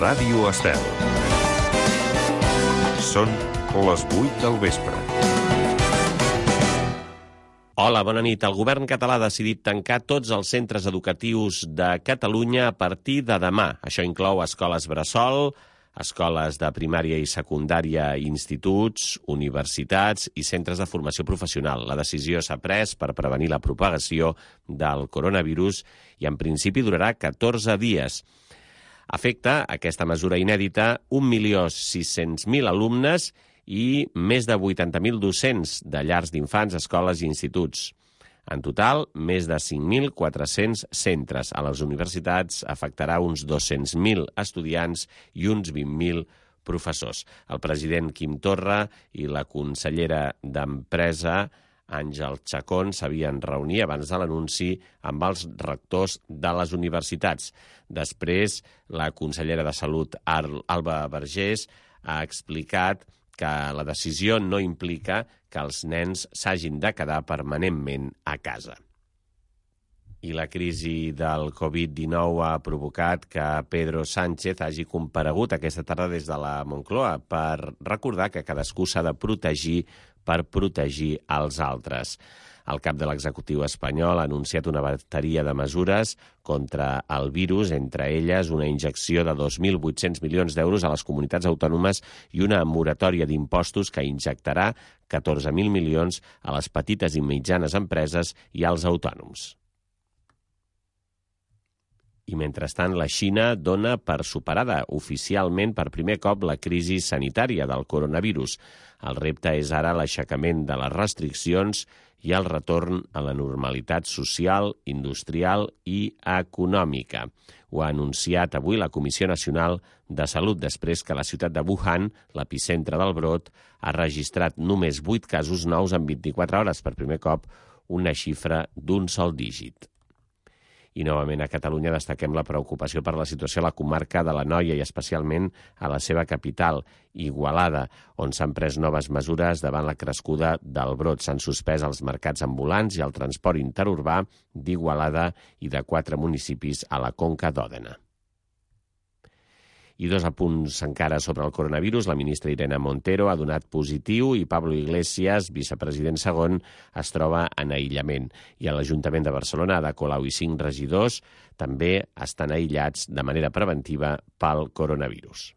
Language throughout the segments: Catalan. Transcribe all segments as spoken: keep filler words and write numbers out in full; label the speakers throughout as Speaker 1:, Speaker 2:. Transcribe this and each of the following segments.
Speaker 1: Ràdio Estel. Són les vuit del vespre.
Speaker 2: Hola, bona nit. El govern català ha decidit tancar tots els centres educatius de Catalunya a partir de demà. Això inclou escoles bressol, escoles de primària i secundària, instituts, universitats i centres de formació professional. La decisió s'ha pres per prevenir la propagació del coronavirus i en principi durarà catorze dies. Afecta aquesta mesura inèdita un milió sis-cents mil alumnes i més de vuitanta mil docents de llars d'infants, escoles i instituts. En total, més de cinc mil quatre-cents centres. A les universitats afectarà uns dos-cents mil estudiants i uns vint mil professors. El president Quim Torra i la consellera d'Empresa, Àngel Chacón, s'havien reunit abans de l'anunci amb els rectors de les universitats. Després, la consellera de Salut, Alba Vergés, ha explicat que la decisió no implica que els nens s'hagin de quedar permanentment a casa. I la crisi del covid dinou ha provocat que Pedro Sánchez hagi comparegut aquesta tarda des de la Moncloa per recordar que cadascú s'ha de protegir per protegir els altres. El cap de l'executiu espanyol ha anunciat una bateria de mesures contra el virus, entre elles una injecció de dos mil vuit-cents milions d'euros a les comunitats autònomes i una moratòria d'impostos que injectarà catorze mil milions a les petites i mitjanes empreses i als autònoms. I mentrestant, la Xina dona per superada oficialment per primer cop la crisi sanitària del coronavirus. El repte és ara l'aixecament de les restriccions i el retorn a la normalitat social, industrial i econòmica. Ho ha anunciat avui la Comissió Nacional de Salut després que la ciutat de Wuhan, l'epicentre del brot, ha registrat només vuit casos nous en vint-i-quatre hores, per primer cop una xifra d'un sol dígit. I novament a Catalunya destaquem la preocupació per la situació a la comarca de l'Anoia i especialment a la seva capital, Igualada, on s'han pres noves mesures davant la crescuda del brot. S'han suspès els mercats ambulants i el transport interurbà d'Igualada i de quatre municipis a la Conca d'Òdena. I dos apunts encara sobre el coronavirus. La ministra Irene Montero ha donat positiu i Pablo Iglesias, vicepresident segon, es troba en aïllament. I a l'Ajuntament de Barcelona, Ada Colau i cinc regidors també estan aïllats de manera preventiva pel coronavirus.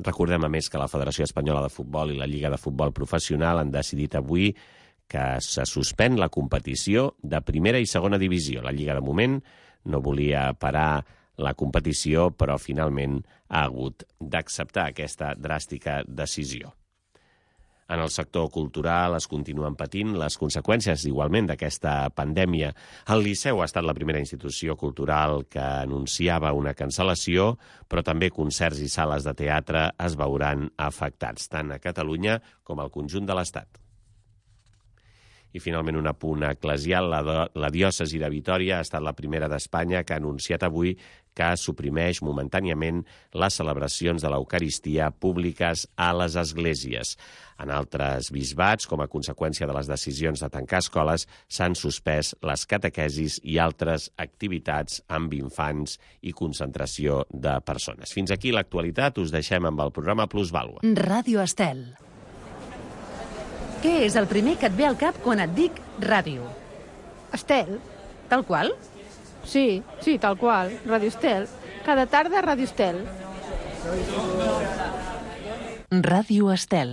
Speaker 2: Recordem, a més, que la Federació Espanyola de Futbol i la Lliga de Futbol Professional han decidit avui que se suspèn la competició de primera i segona divisió. La Lliga, de moment, no volia parar la competició, però finalment ha hagut d'acceptar aquesta dràstica decisió. En el sector cultural es continuen patint les conseqüències igualment d'aquesta pandèmia. El Liceu ha estat la primera institució cultural que anunciava una cancel·lació, però també concerts i sales de teatre es veuran afectats, tant a Catalunya com al conjunt de l'Estat. I finalment un apunt eclesial. La, la diòcesi de Vitòria ha estat la primera d'Espanya que ha anunciat avui que suprimeix momentàniament les celebracions de l'Eucaristia públiques a les esglésies. En altres bisbats, com a conseqüència de les decisions de tancar escoles, s'han suspès les catequesis i altres activitats amb infants i concentració de persones. Fins aquí l'actualitat. Us deixem amb el programa Plusvàlua.
Speaker 3: Ràdio Estel. Què és el primer que et ve al cap quan et dic ràdio?
Speaker 4: Estel.
Speaker 3: Tal qual?
Speaker 4: Sí, sí, tal qual. Ràdio Estel. Cada tarda Ràdio Estel.
Speaker 3: Ràdio Estel.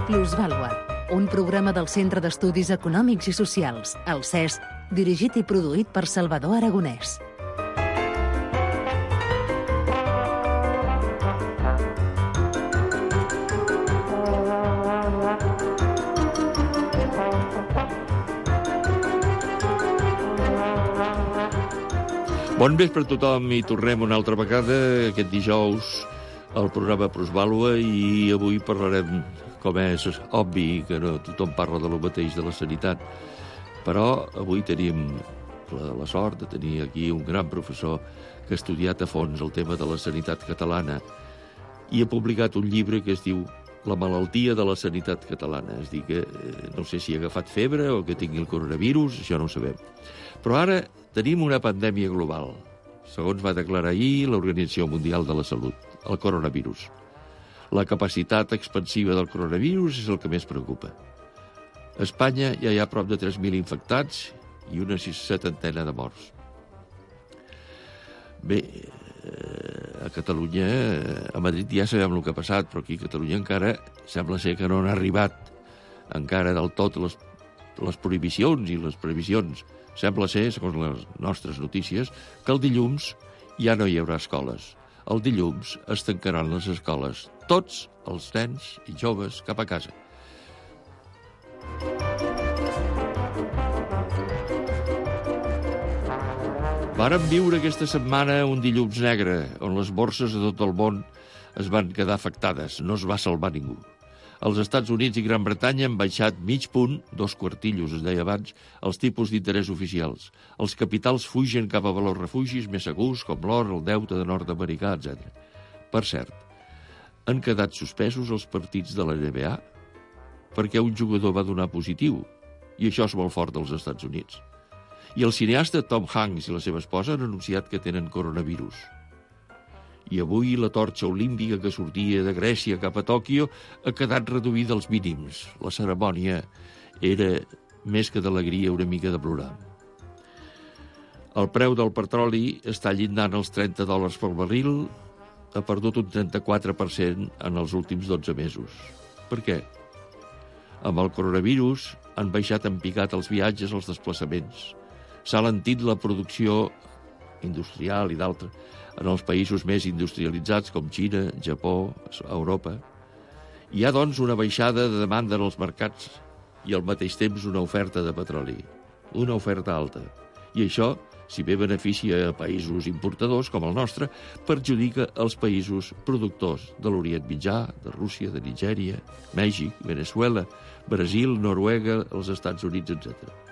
Speaker 3: Plusvàlua, un programa del Centre d'Estudis Econòmics i Socials, el C E S, dirigit i produït per Salvador Aragonès.
Speaker 5: Bon vespre a tothom i tornem una altra vegada aquest dijous al programa Plusvàlua i avui parlarem, com és obvi, que no tothom parla de lo mateix de la sanitat, però avui tenim la, la sort de tenir aquí un gran professor que ha estudiat a fons el tema de la sanitat catalana i ha publicat un llibre que es diu La malaltia de la sanitat catalana. És dir, que eh, no sé si ha agafat febre o que tingui el coronavirus, això no ho sabem. Però ara tenim una pandèmia global, segons va declarar ahir l'Organització Mundial de la Salut, el coronavirus. La capacitat expansiva del coronavirus és el que més preocupa. A Espanya ja hi ha prop de tres mil infectats i una setantena de morts. Bé, a Catalunya, a Madrid ja sabem el que ha passat, però aquí a Catalunya encara sembla ser que no han arribat encara del tot les, les prohibicions i les previsions. Sembla ser, segons les nostres notícies, que el dilluns ja no hi haurà escoles. El dilluns es tancaran les escoles. Tots els nens i joves cap a casa. Vàrem viure aquesta setmana un dilluns negre, on les borses de tot el món es van quedar afectades. No es va salvar ningú. Els Estats Units i Gran Bretanya han baixat mig punt, dos quartillos, es deia abans, els tipus d'interès oficials. Els capitals fugen cap a valors refugis més segurs, com l'or, el deute de nord-americà, etcètera. Per cert, han quedat suspesos els partits de la N B A perquè un jugador va donar positiu, i això és molt fort als Estats Units. I el cineasta Tom Hanks i la seva esposa han anunciat que tenen coronavirus. I avui la torxa olímpica que sortia de Grècia cap a Tòquio ha quedat reduïda als mínims. La cerimònia era, més que d'alegria, una mica de plorar. El preu del petroli està llindant els trenta dòlars per barril, ha perdut un trenta-quatre per cent en els últims dotze mesos. Per què? Amb el coronavirus han baixat en picat els viatges, els desplaçaments. S'ha alentit la producció industrial i d'altres en els països més industrialitzats com Xina, Japó, Europa. Hi ha, doncs, una baixada de demanda en els mercats i al mateix temps una oferta de petroli, una oferta alta. I això, si bé beneficia a països importadors com el nostre, perjudica els països productors de l'Orient Mitjà, de Rússia, de Nigèria, Mèxic, Veneçuela, Brasil, Noruega, els Estats Units, etcètera.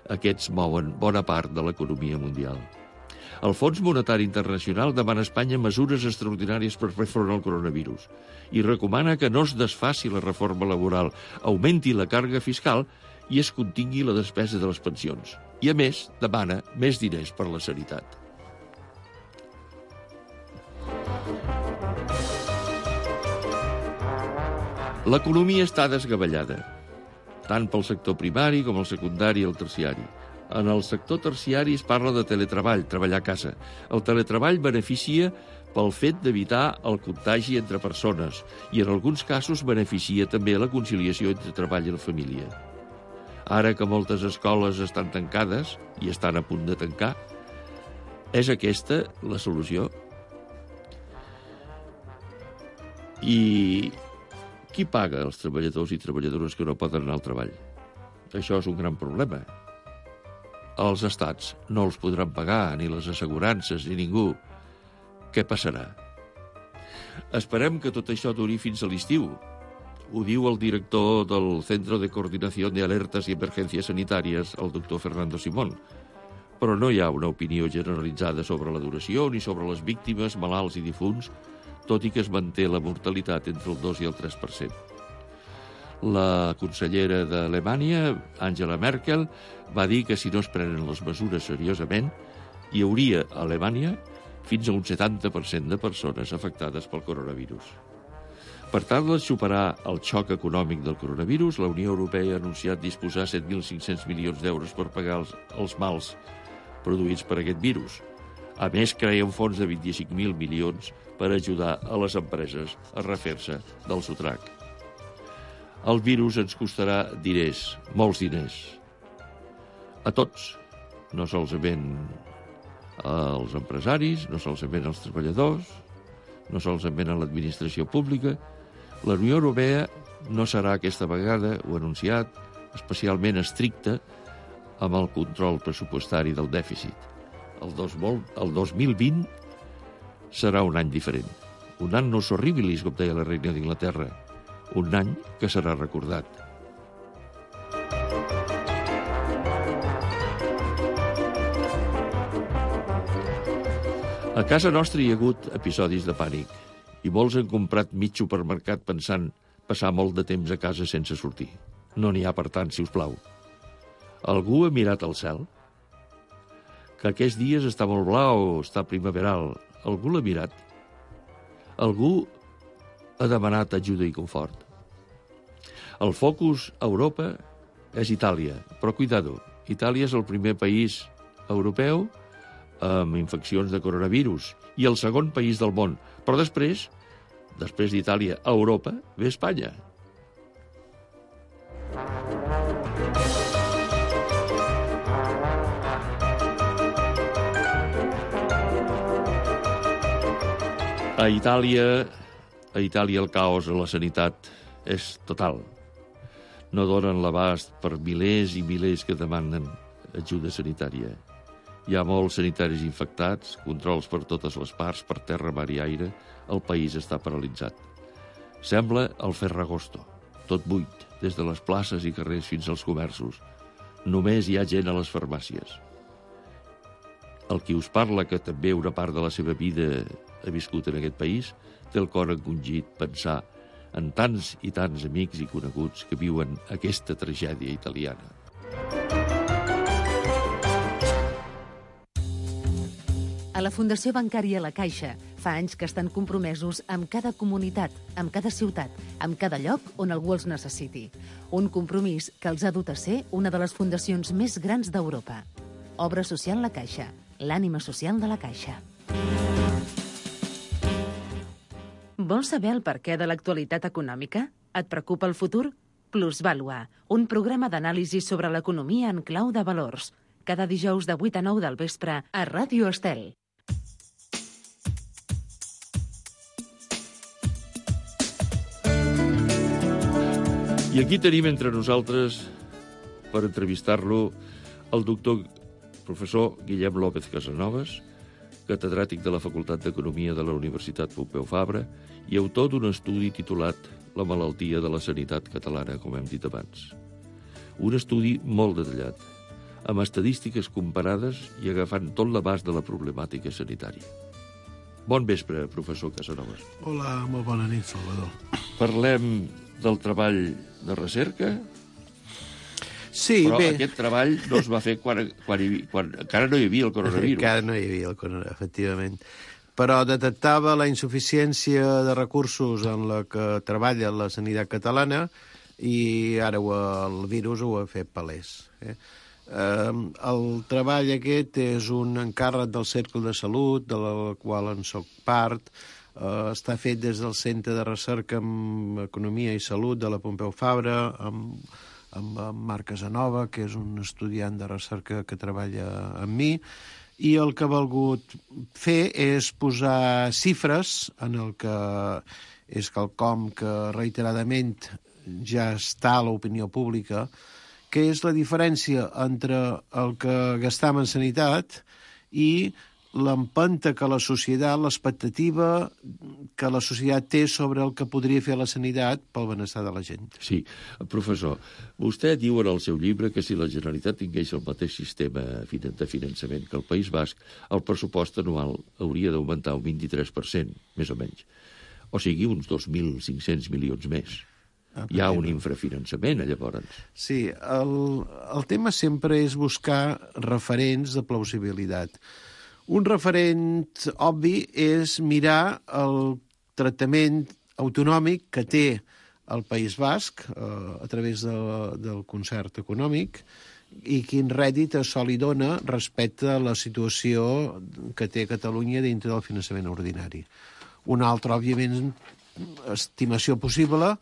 Speaker 5: Aquests mouen bona part de l'economia mundial. El Fons Monetari Internacional demana a Espanya mesures extraordinàries per fer front al coronavirus i recomana que no es desfaci la reforma laboral, augmenti la càrrega fiscal i es contingui la despesa de les pensions. I, a més, demana més diners per a la sanitat. L'economia està desgavellada, tant pel sector primari com el secundari i el terciari. En el sector terciari es parla de teletreball, treballar a casa. El teletreball beneficia pel fet d'evitar el contagi entre persones i en alguns casos beneficia també la conciliació entre treball i la família. Ara que moltes escoles estan tancades i estan a punt de tancar, és aquesta la solució? I qui paga els treballadors i treballadores que no poden anar al treball? Això és un gran problema. Els estats no els podran pagar, ni les assegurances, ni ningú. Què passarà? Esperem que tot això duri fins a l'estiu. Ho diu el director del Centro de Coordinación de Alertas y Emergencias Sanitarias, el doctor Fernando Simón. Però no hi ha una opinió generalitzada sobre la duració ni sobre les víctimes, malalts i difunts, tot i que es manté la mortalitat entre el dos i el tres per cent. La consellera d'Alemanya, Angela Merkel, va dir que si no es prenen les mesures seriosament, hi hauria a Alemanya fins a un setanta per cent de persones afectades pel coronavirus. Per tal de superar el xoc econòmic del coronavirus, la Unió Europea ha anunciat disposar set mil cinc-cents milions d'euros per pagar els, els mals produïts per aquest virus. A més, crea un fons de vint-i-cinc mil milions per ajudar a les empreses a refer-se del sotrac. El virus ens costarà diners, molts diners. A tots, no solament als empresaris, no solament als treballadors, no solament a l'administració pública. La Unió Europea no serà aquesta vegada, ho ha anunciat, especialment estricta amb el control pressupostari del dèficit. El, dos, el dos mil vint serà un any diferent. Un annos horribilis, com deia la reina d'Inglaterra. Un any que serà recordat. A casa nostra hi ha hagut episodis de pànic i molts han comprat mig supermercat pensant passar molt de temps a casa sense sortir. No n'hi ha, per tant, si us plau. Algú ha mirat al cel? Que aquests dies està molt blau, està primaveral. Algú l'ha mirat? Algú ha demanat ajuda i confort? El focus a Europa és Itàlia, però cuidado, Itàlia és el primer país europeu amb infeccions de coronavirus i el segon país del món. Però després, després d'Itàlia a Europa, ve Espanya. A Itàlia, a Itàlia el caos a la sanitat és total. No donen l'abast per milers i milers que demanen ajuda sanitària. Hi ha molts sanitaris infectats, controls per totes les parts, per terra, mar i aire. El país està paralitzat. Sembla el Ferragosto, tot buit, des de les places i carrers fins als comerços. Només hi ha gent a les farmàcies. El qui us parla, que també una part de la seva vida ha viscut en aquest país, té el cor encongit pensar en tants i tants amics i coneguts que viuen aquesta tragèdia italiana.
Speaker 3: A la Fundació Bancària La Caixa fa anys que estan compromesos amb cada comunitat, amb cada ciutat, amb cada lloc on algú els necessiti. Un compromís que els ha dut a ser una de les fundacions més grans d'Europa. Obra Social La Caixa, l'ànima social de la Caixa. Vols saber el perquè de l'actualitat econòmica? Et preocupa el futur? Plusvàlua, un programa d'anàlisi sobre l'economia en clau de valors. Cada dijous de vuit a nou del vespre a Ràdio Estel.
Speaker 5: I aquí tenim entre nosaltres, per entrevistar-lo, el doctor professor Guillem López Casanovas, catedràtic de la Facultat d'Economia de la Universitat Pompeu Fabra i autor d'un estudi titulat La malaltia de la sanitat catalana, com hem dit abans. Un estudi molt detallat, amb estadístiques comparades i agafant tot l'abast de la problemàtica sanitària. Bon vespre, professor Casanovas.
Speaker 6: Hola, molt bona nit, Salvador.
Speaker 5: Parlem del treball de recerca,
Speaker 6: sí,
Speaker 5: però
Speaker 6: bé.
Speaker 5: Aquest treball no es va fer quan, quan, hi, quan encara no hi havia el coronavirus.
Speaker 6: Encara no hi havia el coronavirus, efectivament. Però detectava la insuficiència de recursos en la que treballa la sanitat catalana i ara ho, el virus ho ha fet palès. Eh? Eh, el treball aquest és un encàrrec del Cercle de Salut, de la qual en soc part. Eh, està fet des del Centre de Recerca en Economia i Salut de la Pompeu Fabra, amb, amb Marc Casanova, que és un estudiant de recerca que treballa amb mi, i el que ha volgut fer és posar xifres en el que és quelcom que reiteradament ja està a l'opinió pública, que és la diferència entre el que gastam en sanitat i l'empenta que la societat, l'expectativa que la societat té sobre el que podria fer la sanitat pel benestar de la gent.
Speaker 5: Sí, professor, vostè diu en el seu llibre que si la Generalitat tingués el mateix sistema de finançament que el País Basc, el pressupost anual hauria d'augmentar un vint-i-tres per cent, més o menys. O sigui, uns dos mil cinc-cents milions més. Hi ha un infrafinançament, llavors.
Speaker 6: Sí, el, el tema sempre és buscar referents de plausibilitat. Un referent obvi és mirar el tractament autonòmic que té el País Basc eh, a través de, del concert econòmic i quin rèdit això li dona respecte a la situació que té Catalunya dintre del finançament ordinari. Una altra, òbviament, estimació possible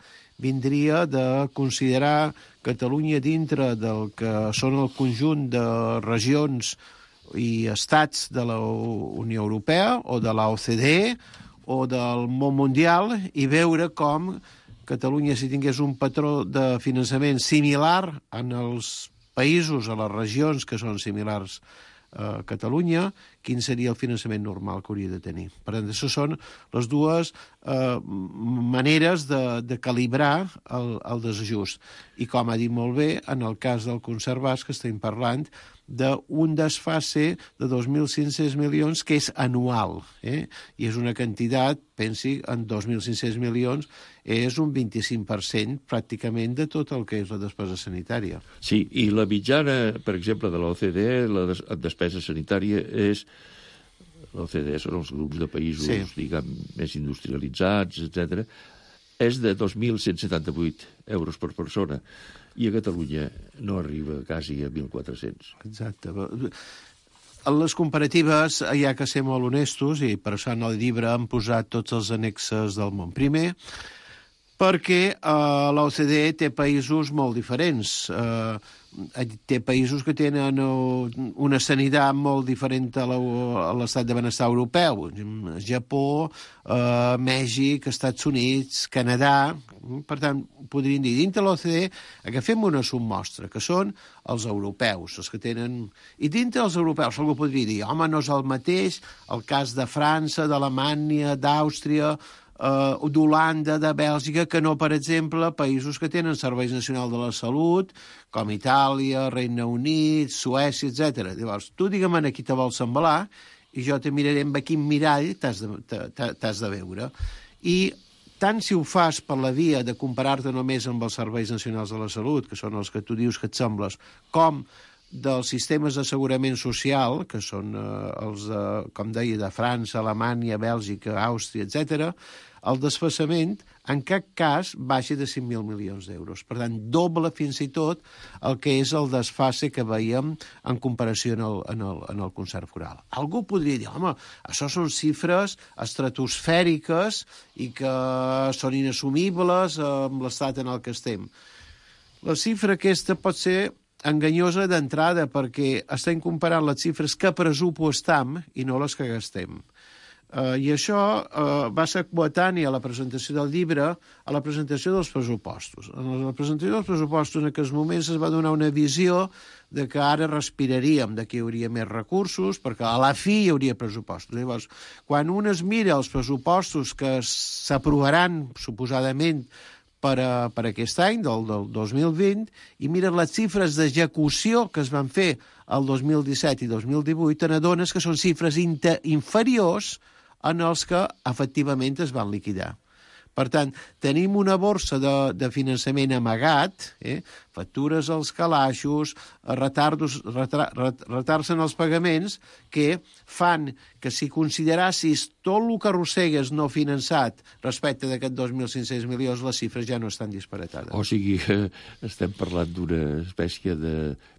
Speaker 6: vindria de considerar Catalunya dintre del que són el conjunt de regions i estats de la Unió Europea o de la O C D E o del món mundial i veure com Catalunya, si tingués un patró de finançament similar en els països, a les regions que són similars a Catalunya, quin seria el finançament normal que hauria de tenir. Per tant, això són les dues eh, maneres de, de calibrar el, el desajust. I com ha dit molt bé, en el cas del concert basc estem parlant d'un desfase de dos mil cinc-cents milions que és anual, eh? I és una quantitat, pensi, en dos mil cinc-cents milions és un vint-i-cinc per cent pràcticament de tot el que és la despesa sanitària.
Speaker 5: Sí, i la mitjana, per exemple, de l'O C D E, la des despesa sanitària és... L'O C D E són els grups de països, sí, diguem, més industrialitzats, etcètera, és de dos mil cent setanta-vuit euros per persona, i a Catalunya no arriba quasi a mil quatre-cents.
Speaker 6: Exacte. En les comparatives hi ha que ser molt honestos, i per això en el llibre han posat tots els annexes del món. Primer, perquè eh, l'O C D E té països molt diferents. Eh, té països que tenen una sanitat molt diferent a l'estat de benestar europeu. Japó, eh, Mèxic, Estats Units, Canadà... Per tant, podríem dir, dintre l'O C D E agafem una submostra, que són els europeus, els que tenen... I dintre els europeus algú podria dir, home, no és el mateix el cas de França, d'Alemanya, d'Àustria... Uh, d'Holanda, de Bèlgica, que no, per exemple, països que tenen serveis nacionals de la salut, com Itàlia, Regne Unit, Suècia, etcètera. Llavors, tu digue'm a qui te vols embalar i jo te miraré amb quin mirall t'has de, t'has de veure. I tant si ho fas per la via de comparar-te només amb els serveis nacionals de la salut, que són els que tu dius que et sembles, com dels sistemes d'assegurament social, que són eh, els, de, com deia, de França, Alemanya, Bèlgica, Àustria, etcètera, el desfasament en cap cas baixa de cinc mil milions d'euros. Per tant, doble fins i tot el que és el desfase que veiem en comparació en el, en el, en el concert foral. Algú podria dir, home, això són xifres estratosfèriques i que són inassumibles amb l'estat en el que estem. La xifra aquesta pot ser enganyosa d'entrada perquè estem comparant les xifres que pressupostam i no les que gastem. Uh, I això uh, va ser coetani a la presentació del llibre, a la presentació dels pressupostos. En la presentació dels pressupostos en aquells moments es va donar una visió de que ara respiraríem, de que hi hauria més recursos, perquè a la fi hi hauria pressupostos. Llavors, quan un es mira els pressupostos que s'aprovaran, suposadament, per, a, per aquest any, del, del dos mil vint, i mires les xifres d'execució que es van fer el dos mil disset i dos mil divuit, te n'adones que són xifres inferiors en els que efectivament es van liquidar. Per tant, tenim una borsa de, de finançament amagat, eh? Factures als calaixos, retardos, retar, retards en els pagaments, que fan que si considerassis tot el que arrossegues no finançat respecte d'aquests dos mil cinc-cents milions, les xifres ja no estan disparatades.
Speaker 5: O sigui, estem parlant d'una espècie de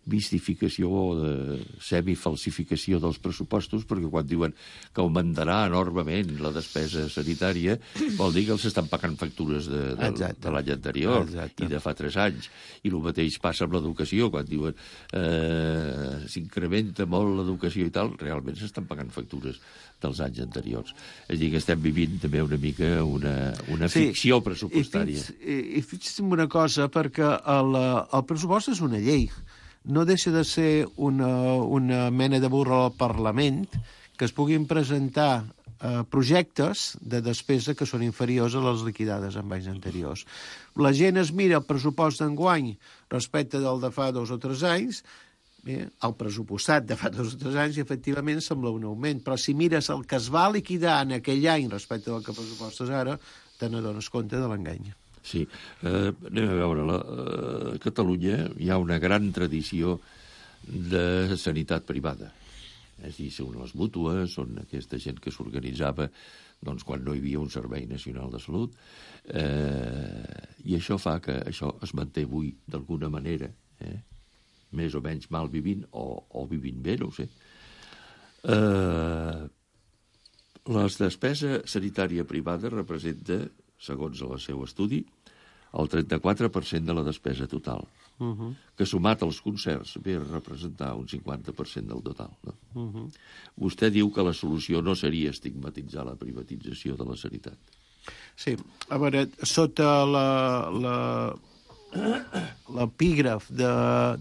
Speaker 5: mistificació o de semifalsificació dels pressupostos, perquè quan diuen que augmentarà enormement la despesa sanitària, vol dir que els estan pagant factures de, de, de l'any anterior. Exacte. I de fa tres anys. I el mateix passa amb l'educació, quan diuen eh, s'incrementa molt l'educació i tal, realment s'estan pagant factures dels anys anteriors. És a dir, que estem vivint també una mica una, una sí, ficció pressupostària.
Speaker 6: I, i fixa't en una cosa, perquè el, el pressupost és una llei. No deixa de ser una, una mena de burro al Parlament que es puguin presentar eh, projectes de despesa que són inferiors a les liquidades en anys anteriors. La gent es mira el pressupost d'enguany respecte del de fa dos o tres anys, bé, el pressupostat de fa dos o tres anys, i efectivament sembla un augment, però si mires el que es va liquidar en aquell any respecte del que pressupostes ara, te n'adones compte de l'engany.
Speaker 5: Sí, eh, anem a veure, la, a Catalunya hi ha una gran tradició de sanitat privada. És a dir, són les mútues, són aquesta gent que s'organitzava doncs, quan no hi havia un servei nacional de salut, eh, i això fa que això es manté avui d'alguna manera, eh, més o menys mal vivint, o, o vivint bé, no ho sé. Eh, la despesa sanitària privada representa, segons el seu estudi, el trenta-quatre per cent de la despesa total, uh-huh. que sumat als concerts ve a representar un cinquanta per cent del total. No? Uh-huh. Vostè diu que la solució no seria estigmatitzar la privatització de la sanitat.
Speaker 6: Sí, a veure, sota la, la, l'epígraf de,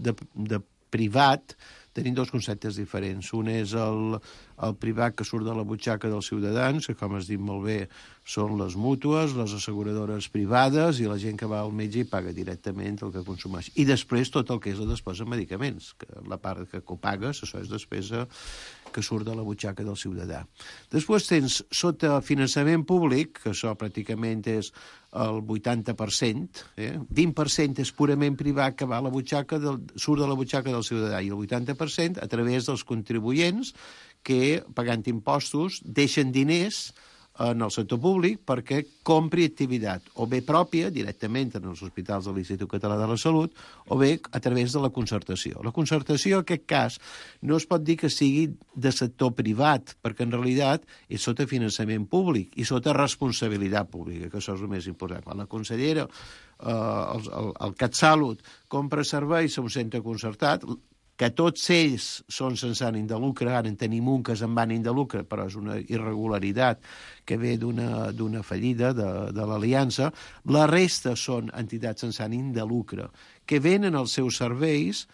Speaker 6: de, de privat tenim dos conceptes diferents. Un és el, el privat que surt de la butxaca dels ciutadans, que, com has dit molt bé, són les mútues, les asseguradores privades i la gent que va al metge i paga directament el que consumeix. I després tot el que és la despesa en medicaments, que la part que copagues, això és despesa que surt de la butxaca del ciutadà. Després tens, sota finançament públic, que això pràcticament és el vuitanta per cent, eh? vint per cent és purament privat que va a la butxaca del, surt de la butxaca del ciutadà i el vuitanta per cent a través dels contribuents que, pagant impostos, deixen diners en el sector públic perquè compri activitat, o bé pròpia, directament en els hospitals de l'Institut Català de la Salut, o bé a través de la concertació. La concertació, en aquest cas, no es pot dir que sigui de sector privat, perquè en realitat és sota finançament públic i sota responsabilitat pública, que això és el més important. Quan la consellera, eh, el, el, el CatSalut, compra serveis a un centre concertat, que tots ells són sense ànim de lucre, ara en tenim un que és amb ànim de lucre, però és una irregularitat que ve d'una d'una fallida de, de l'Aliança, la resta són entitats sense ànim de lucre, que venen els seus serveis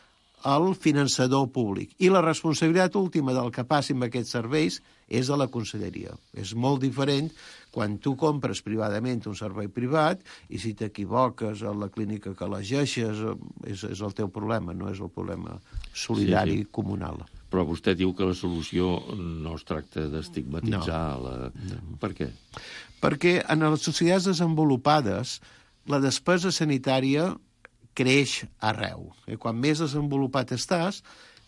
Speaker 6: al finançador públic. I la responsabilitat última del que passi amb aquests serveis és a la conselleria. És molt diferent quan tu compres privadament un servei privat i si t'equivoques a la clínica que elegeixes és, és el teu problema, no és el problema solidari sí, sí. comunal.
Speaker 5: Però vostè diu que la solució no es tracta d'estigmatitzar no. la... No. Per què?
Speaker 6: Perquè en les societats desenvolupades la despesa sanitària creix arreu. I quan més desenvolupat estàs,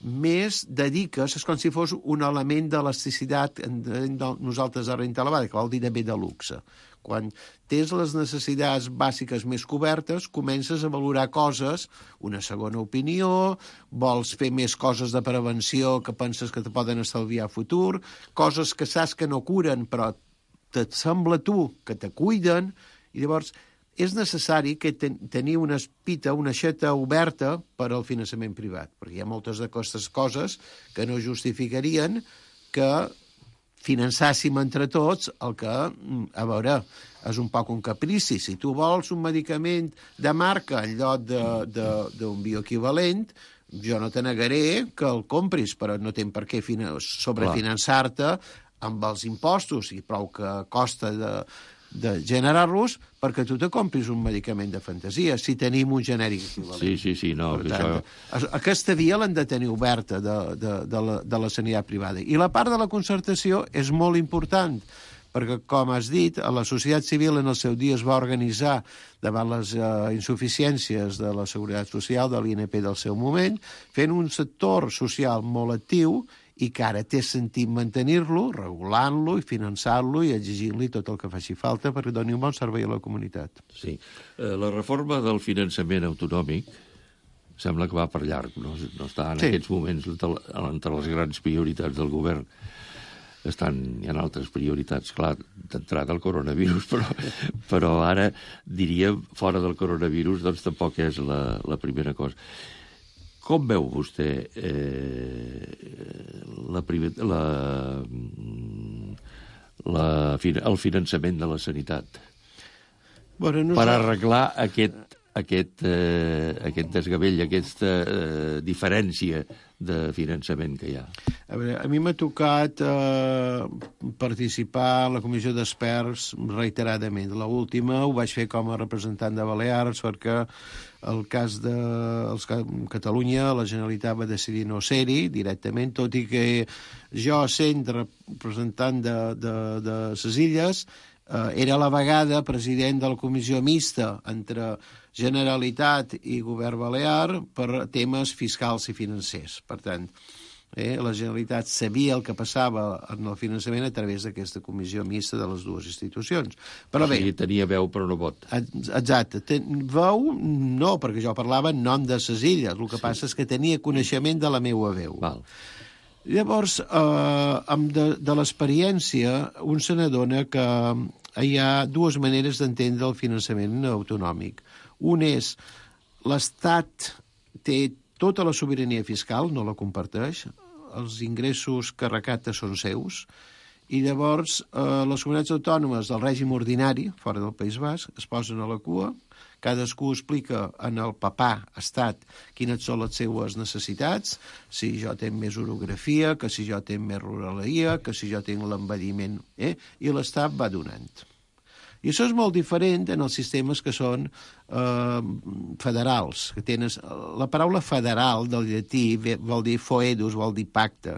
Speaker 6: més dediques, és com si fos un element d'elasticitat nosaltres a renta elevada, que vol dir també de luxe. Quan tens les necessitats bàsiques més cobertes, comences a valorar coses, una segona opinió, vols fer més coses de prevenció que penses que te poden estalviar a futur, coses que saps que no curen, però et sembla tu que te cuiden, i llavors és necessari que ten tenir una espita, una aixeta oberta per al finançament privat, perquè hi ha moltes d'aquestes coses que no justificarien que finançàssim entre tots el que, a veure, és un poc un caprici. Si tu vols un medicament de marca en lloc d'un bioequivalent, jo no te negaré que el compris, però no tens per què sobrefinançar-te amb els impostos i prou que costa de... de generar-los perquè tu te compris un medicament de fantasia, si tenim un genèric equivalent.
Speaker 5: Sí, sí, sí, no.
Speaker 6: Per tant, això... aquesta via l'han de tenir oberta de, de, de, la, de la sanitat privada. I la part de la concertació és molt important, perquè, com has dit, la societat civil en el seu dia es va organitzar davant les uh, insuficiències de la Seguretat Social, de l'I N P del seu moment, fent un sector social molt actiu i que ara té sentit mantenir-lo, regulant-lo i finançant-lo i exigint-li tot el que faci falta perquè doni un bon servei a la comunitat.
Speaker 5: Sí. Eh, la reforma del finançament autonòmic sembla que va per llarg, no, no està en sí. aquests moments entre les grans prioritats del govern. Estan, hi ha altres prioritats, clar, d'entrada el coronavirus, però, però ara, diríem, fora del coronavirus, doncs tampoc és la, la primera cosa. Com veu vostè eh, la, la, la, el finançament de la sanitat
Speaker 6: bueno, no
Speaker 5: per
Speaker 6: sé.
Speaker 5: arreglar aquest, aquest, eh, aquest desgavell, aquesta eh, diferència de finançament que hi ha?
Speaker 6: A veure, a mi m'ha tocat eh, participar a la comissió d'experts reiteradament. L'última ho vaig fer com a representant de Balears perquè el cas de els, Catalunya, la Generalitat va decidir no ser-hi directament, tot i que jo, sent representant de, de, de ses Illes, eh, era a la vegada president de la comissió mixta entre Generalitat i Govern Balear per temes fiscals i financers. Per tant, eh, la Generalitat sabia el que passava en el finançament a través d'aquesta comissió mixta de les dues institucions. Però bé,
Speaker 5: o sigui, tenia veu però no vot.
Speaker 6: Exacte. Ten, veu, no, perquè jo parlava en nom de ses Illes. El que sí. passa és que tenia coneixement de la meva veu.
Speaker 5: Val.
Speaker 6: Llavors, eh, de, de l'experiència, un se n'adona que hi ha dues maneres d'entendre el finançament autonòmic. Un és l'Estat té tota la sobirania fiscal, no la comparteix, els ingressos que recapta són seus, i llavors eh, les comunitats autònomes del règim ordinari, fora del País Basc, es posen a la cua, cadascú explica en el papà estat quines són les seues necessitats, si jo tinc més orografia, que si jo tinc més ruraleria, que si jo tinc l'envelliment, eh? I l'estat va donant. I això és molt diferent en els sistemes que són eh, federals, que tenen... La paraula federal del llatí vol dir foedus, vol dir pacte.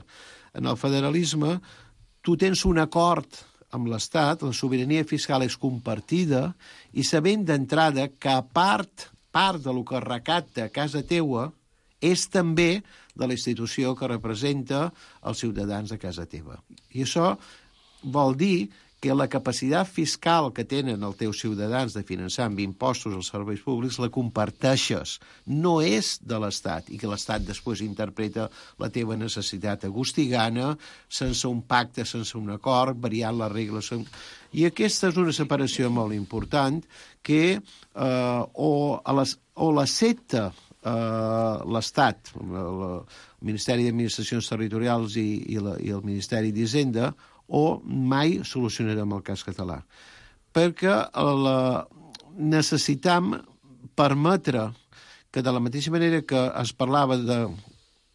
Speaker 6: En el federalisme tu tens un acord amb l'Estat, la sobirania fiscal és compartida i sabent d'entrada que a part, part de lo que recapta a casa teua és també de la institució que representa els ciutadans de casa teva. I això vol dir que la capacitat fiscal que tenen els teus ciutadans de finançar amb impostos els serveis públics la comparteixes. No és de l'Estat, i que l'Estat després interpreta la teva necessitat agostigana, sense un pacte, sense un acord, variant les regles. I aquesta és una separació molt important que eh, o, a les, o l'accepta eh, l'Estat, el Ministeri d'Administracions Territorials i, i, la, i el Ministeri d'Hisenda, o mai solucionarem el cas català. Perquè la, necessitam permetre que de la mateixa manera que es parlava de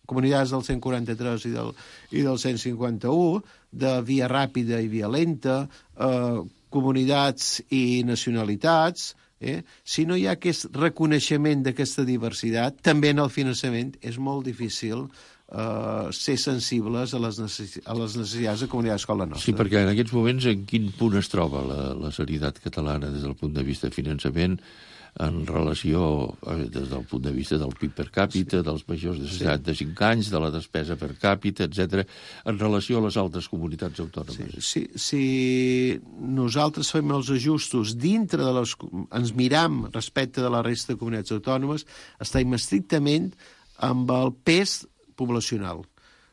Speaker 6: comunitats del cent quaranta-tres i del, i del cent cinquanta-u, de via ràpida i via lenta, eh, comunitats i nacionalitats, eh, si no hi ha aquest reconeixement d'aquesta diversitat, també en el finançament és molt difícil Uh, ser sensibles a les, necess a les necessitats de comunitats com la nostra.
Speaker 5: Sí, perquè en aquests moments en quin punt es troba la, la sanitat catalana des del punt de vista de finançament en relació, eh, des del punt de vista del P I B per càpita, sí. dels majors de seixanta-cinc sí. anys, de la despesa per càpita, etcètera, en relació a les altres comunitats autònomes?
Speaker 6: Sí, si, si nosaltres fem els ajustos dintre de les... ens miram respecte de la resta de comunitats autònomes, estem estrictament amb el pes poblacional.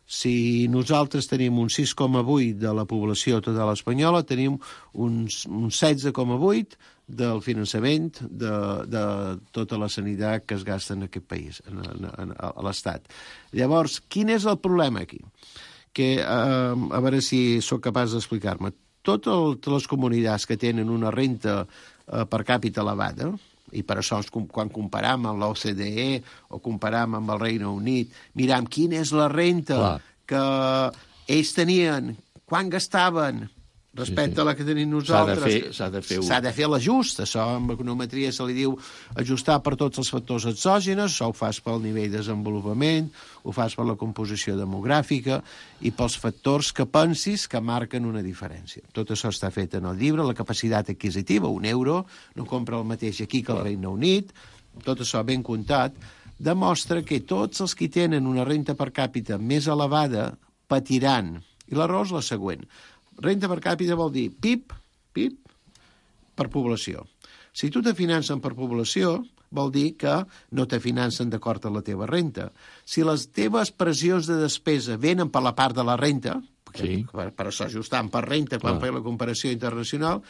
Speaker 6: Si nosaltres tenim un sis coma vuit de la població total espanyola, tenim un, un setze coma vuit del finançament de, de tota la sanitat que es gasta en aquest país, en, en, en, a l'Estat. Llavors, quin és el problema aquí? Que, eh, a veure si sóc capaç d'explicar-me. Totes les comunitats que tenen una renta eh, per càpita elevada, i per això quan comparam amb l'O C D E o comparam amb el Regne Unit, miram quina és la renta Clar. que ells tenien, quan gastaven respecte sí, sí. a la que tenim nosaltres.
Speaker 5: S'ha de fer,
Speaker 6: s'ha de fer l'ajust. Això en econometria se li diu ajustar per tots els factors exògenes, això ho fas pel nivell de desenvolupament, ho fas per la composició demogràfica i pels factors que pensis que marquen una diferència. Tot això està fet en el llibre, la capacitat adquisitiva, un euro, no compra el mateix aquí que al Regne Unit, tot això ben comptat, demostra que tots els que tenen una renta per càpita més elevada patiran. I la raó és la següent. Renta per càpita vol dir P I B, P I B per població. Si tu te financen per població, vol dir que no te financen d'acord amb la teva renta. Si les teves pressions de despesa venen per la part de la renta, sí. per, per això ajustant per renta quan fem la comparació internacional,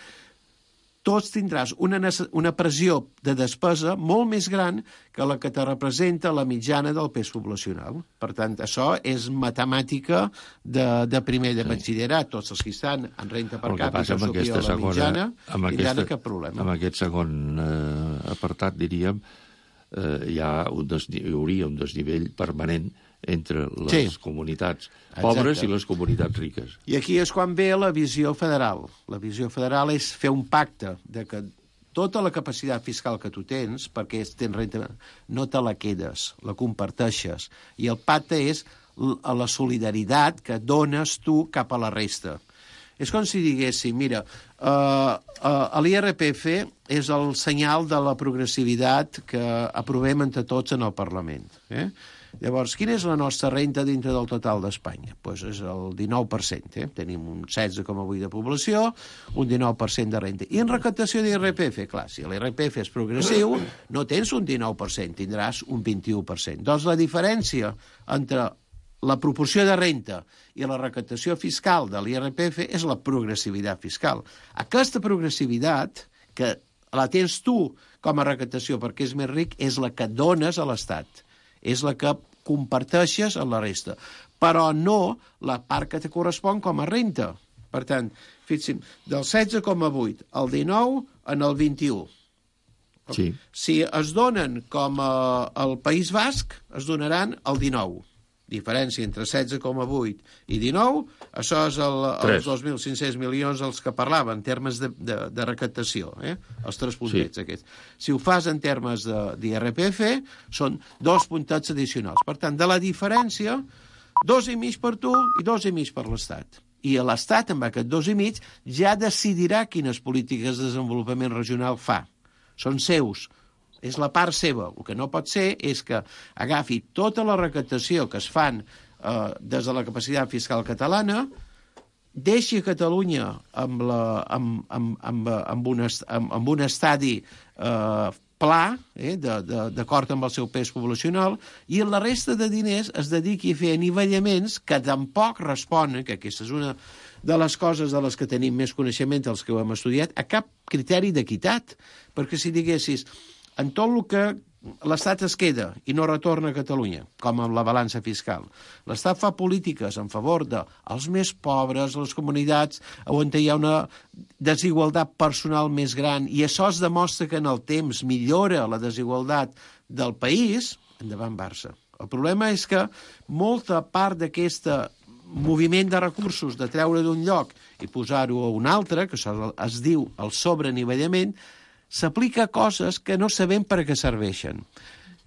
Speaker 6: tots tindràs una, una pressió de despesa molt més gran que la que te representa la mitjana del pes poblacional. Per tant, això és matemàtica de, de primer de batxillerat. Tots els que estan en renta per càpita superior a la mitjana tindran cap problema.
Speaker 5: Amb aquest segon eh, apartat, diríem, eh, hi, ha un hi hauria un desnivell permanent entre les sí. comunitats pobres Exacte. i les comunitats riques.
Speaker 6: I aquí és quan ve la visió federal. La visió federal és fer un pacte de que tota la capacitat fiscal que tu tens, perquè tens renta, no te la quedes, la comparteixes. I el pacte és la solidaritat que dones tu cap a la resta. És com si diguéssim, mira, uh, uh, l'I R P F és el senyal de la progressivitat que aprovem entre tots en el Parlament. Eh? Llavors, quina és la nostra renta dintre del total d'Espanya? Doncs és el dinou per cent. Eh? Tenim un setze coma vuit de població, un dinou per cent de renta. I en recaptació d'I R P F, clar, si l'I R P F és progressiu, no tens un dinou per cent, tindràs un vint-i-u per cent. Doncs la diferència entre la proporció de renta i la recaptació fiscal de l'I R P F és la progressivitat fiscal. Aquesta progressivitat, que la tens tu com a recaptació perquè és més ric, és la que dones a l'Estat. És la que comparteixes amb la resta. Però no la part que te correspon com a renta. Per tant, fixin, del setze coma vuit al dinou en el vint-i-u.
Speaker 5: Sí.
Speaker 6: Si es donen com a, al País Basc, es donaran el dinou. Diferència entre setze coma vuit i dinou, això és el, els dos mil cinc-cents milions els que parlava, en termes de, de, de recaptació, eh? Els tres puntets sí. aquests. Si ho fas en termes d'I R P F, són dos puntats addicionals. Per tant, de la diferència, dos i mig per tu i dos i mig per l'Estat. I l'Estat, amb aquest dos i mig, ja decidirà quines polítiques de desenvolupament regional fa. Són seus, és la part seva. El que no pot ser és que agafi tota la recaptació que es fan eh, des de la capacitat fiscal catalana, deixi Catalunya amb, la, amb, amb, amb, amb, un, amb, amb un estadi eh, pla, eh, d'acord amb el seu pes poblacional, i la resta de diners es dediqui a fer anivellaments que tampoc responen, que aquesta és una de les coses de les que tenim més coneixement, els que ho hem estudiat, a cap criteri d'equitat. Perquè si diguessis, en tot el que l'Estat es queda i no retorna a Catalunya, com amb la balança fiscal, l'Estat fa polítiques en favor dels més pobres, les comunitats on hi ha una desigualtat personal més gran, i això es demostra que en el temps millora la desigualtat del país, endavant Barça. El problema és que molta part d'aquesta moviment de recursos, de treure d'un lloc i posar-ho a un altre, que això es diu el sobreanivellament, s'aplica a coses que no sabem per a què serveixen.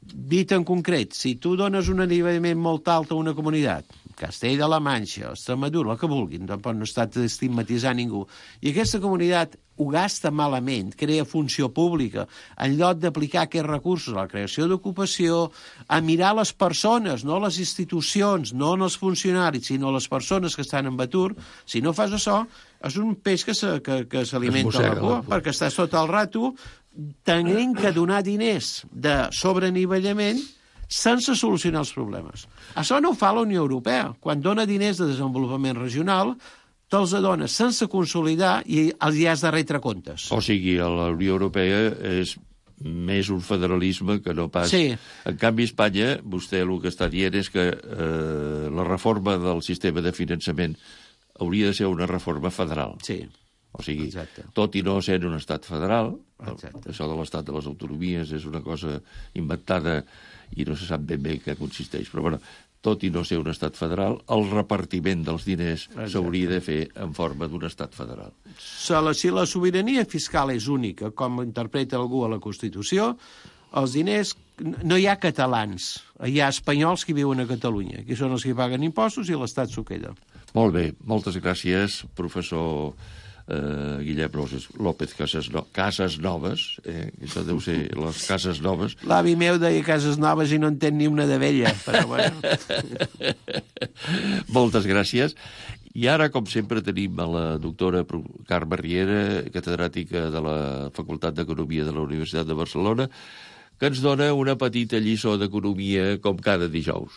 Speaker 6: Dit en concret, si tu dones un anivellament molt alt a una comunitat, Castella de la Manxa, Extremadura, el que vulguin, tampoc no està estigmatitzant ningú, i aquesta comunitat ho gasta malament, crea funció pública, en lloc d'aplicar aquests recursos a la creació d'ocupació, a mirar les persones, no les institucions, no els funcionaris, sinó les persones que estan en atur, si no fas això, és un peix que s'alimenta a la cua, perquè estàs tot el rato tenint que donar diners de sobreanivellament sense solucionar els problemes. Això no ho fa la Unió Europea. Quan dona diners de desenvolupament regional, te'ls dona sense consolidar i els hi has de retre comptes.
Speaker 5: O sigui, la Unió Europea és més un federalisme que no pas...
Speaker 6: Sí.
Speaker 5: En canvi, a Espanya, vostè el que està dient és que eh, la reforma del sistema de finançament hauria de ser una reforma federal.
Speaker 6: Sí.
Speaker 5: O sigui,
Speaker 6: exacte.
Speaker 5: Tot i no ser un estat federal,
Speaker 6: exacte.
Speaker 5: Això de l'estat de les autonomies és una cosa inventada i no se sap ben bé què consisteix. Però, bueno, tot i no ser un estat federal, el repartiment dels diners s'hauria de fer en forma d'un estat federal.
Speaker 6: Si la sobirania fiscal és única, com interpreta algú a la Constitució, els diners... No hi ha catalans, hi ha espanyols que viuen a Catalunya, que són els que paguen impostos i l'Estat s'ho queda.
Speaker 5: Molt bé, moltes gràcies, professor eh, Guillem López Casas, no, Cases Noves, eh, això deu ser les Cases Noves.
Speaker 6: L'avi meu deia Cases Noves i no entén ni una de vella, però bueno.
Speaker 5: Moltes gràcies. I ara, com sempre, tenim a la doctora Carme Riera, catedràtica de la Facultat d'Economia de la Universitat de Barcelona, que ens dona una petita lliçó d'economia com cada dijous.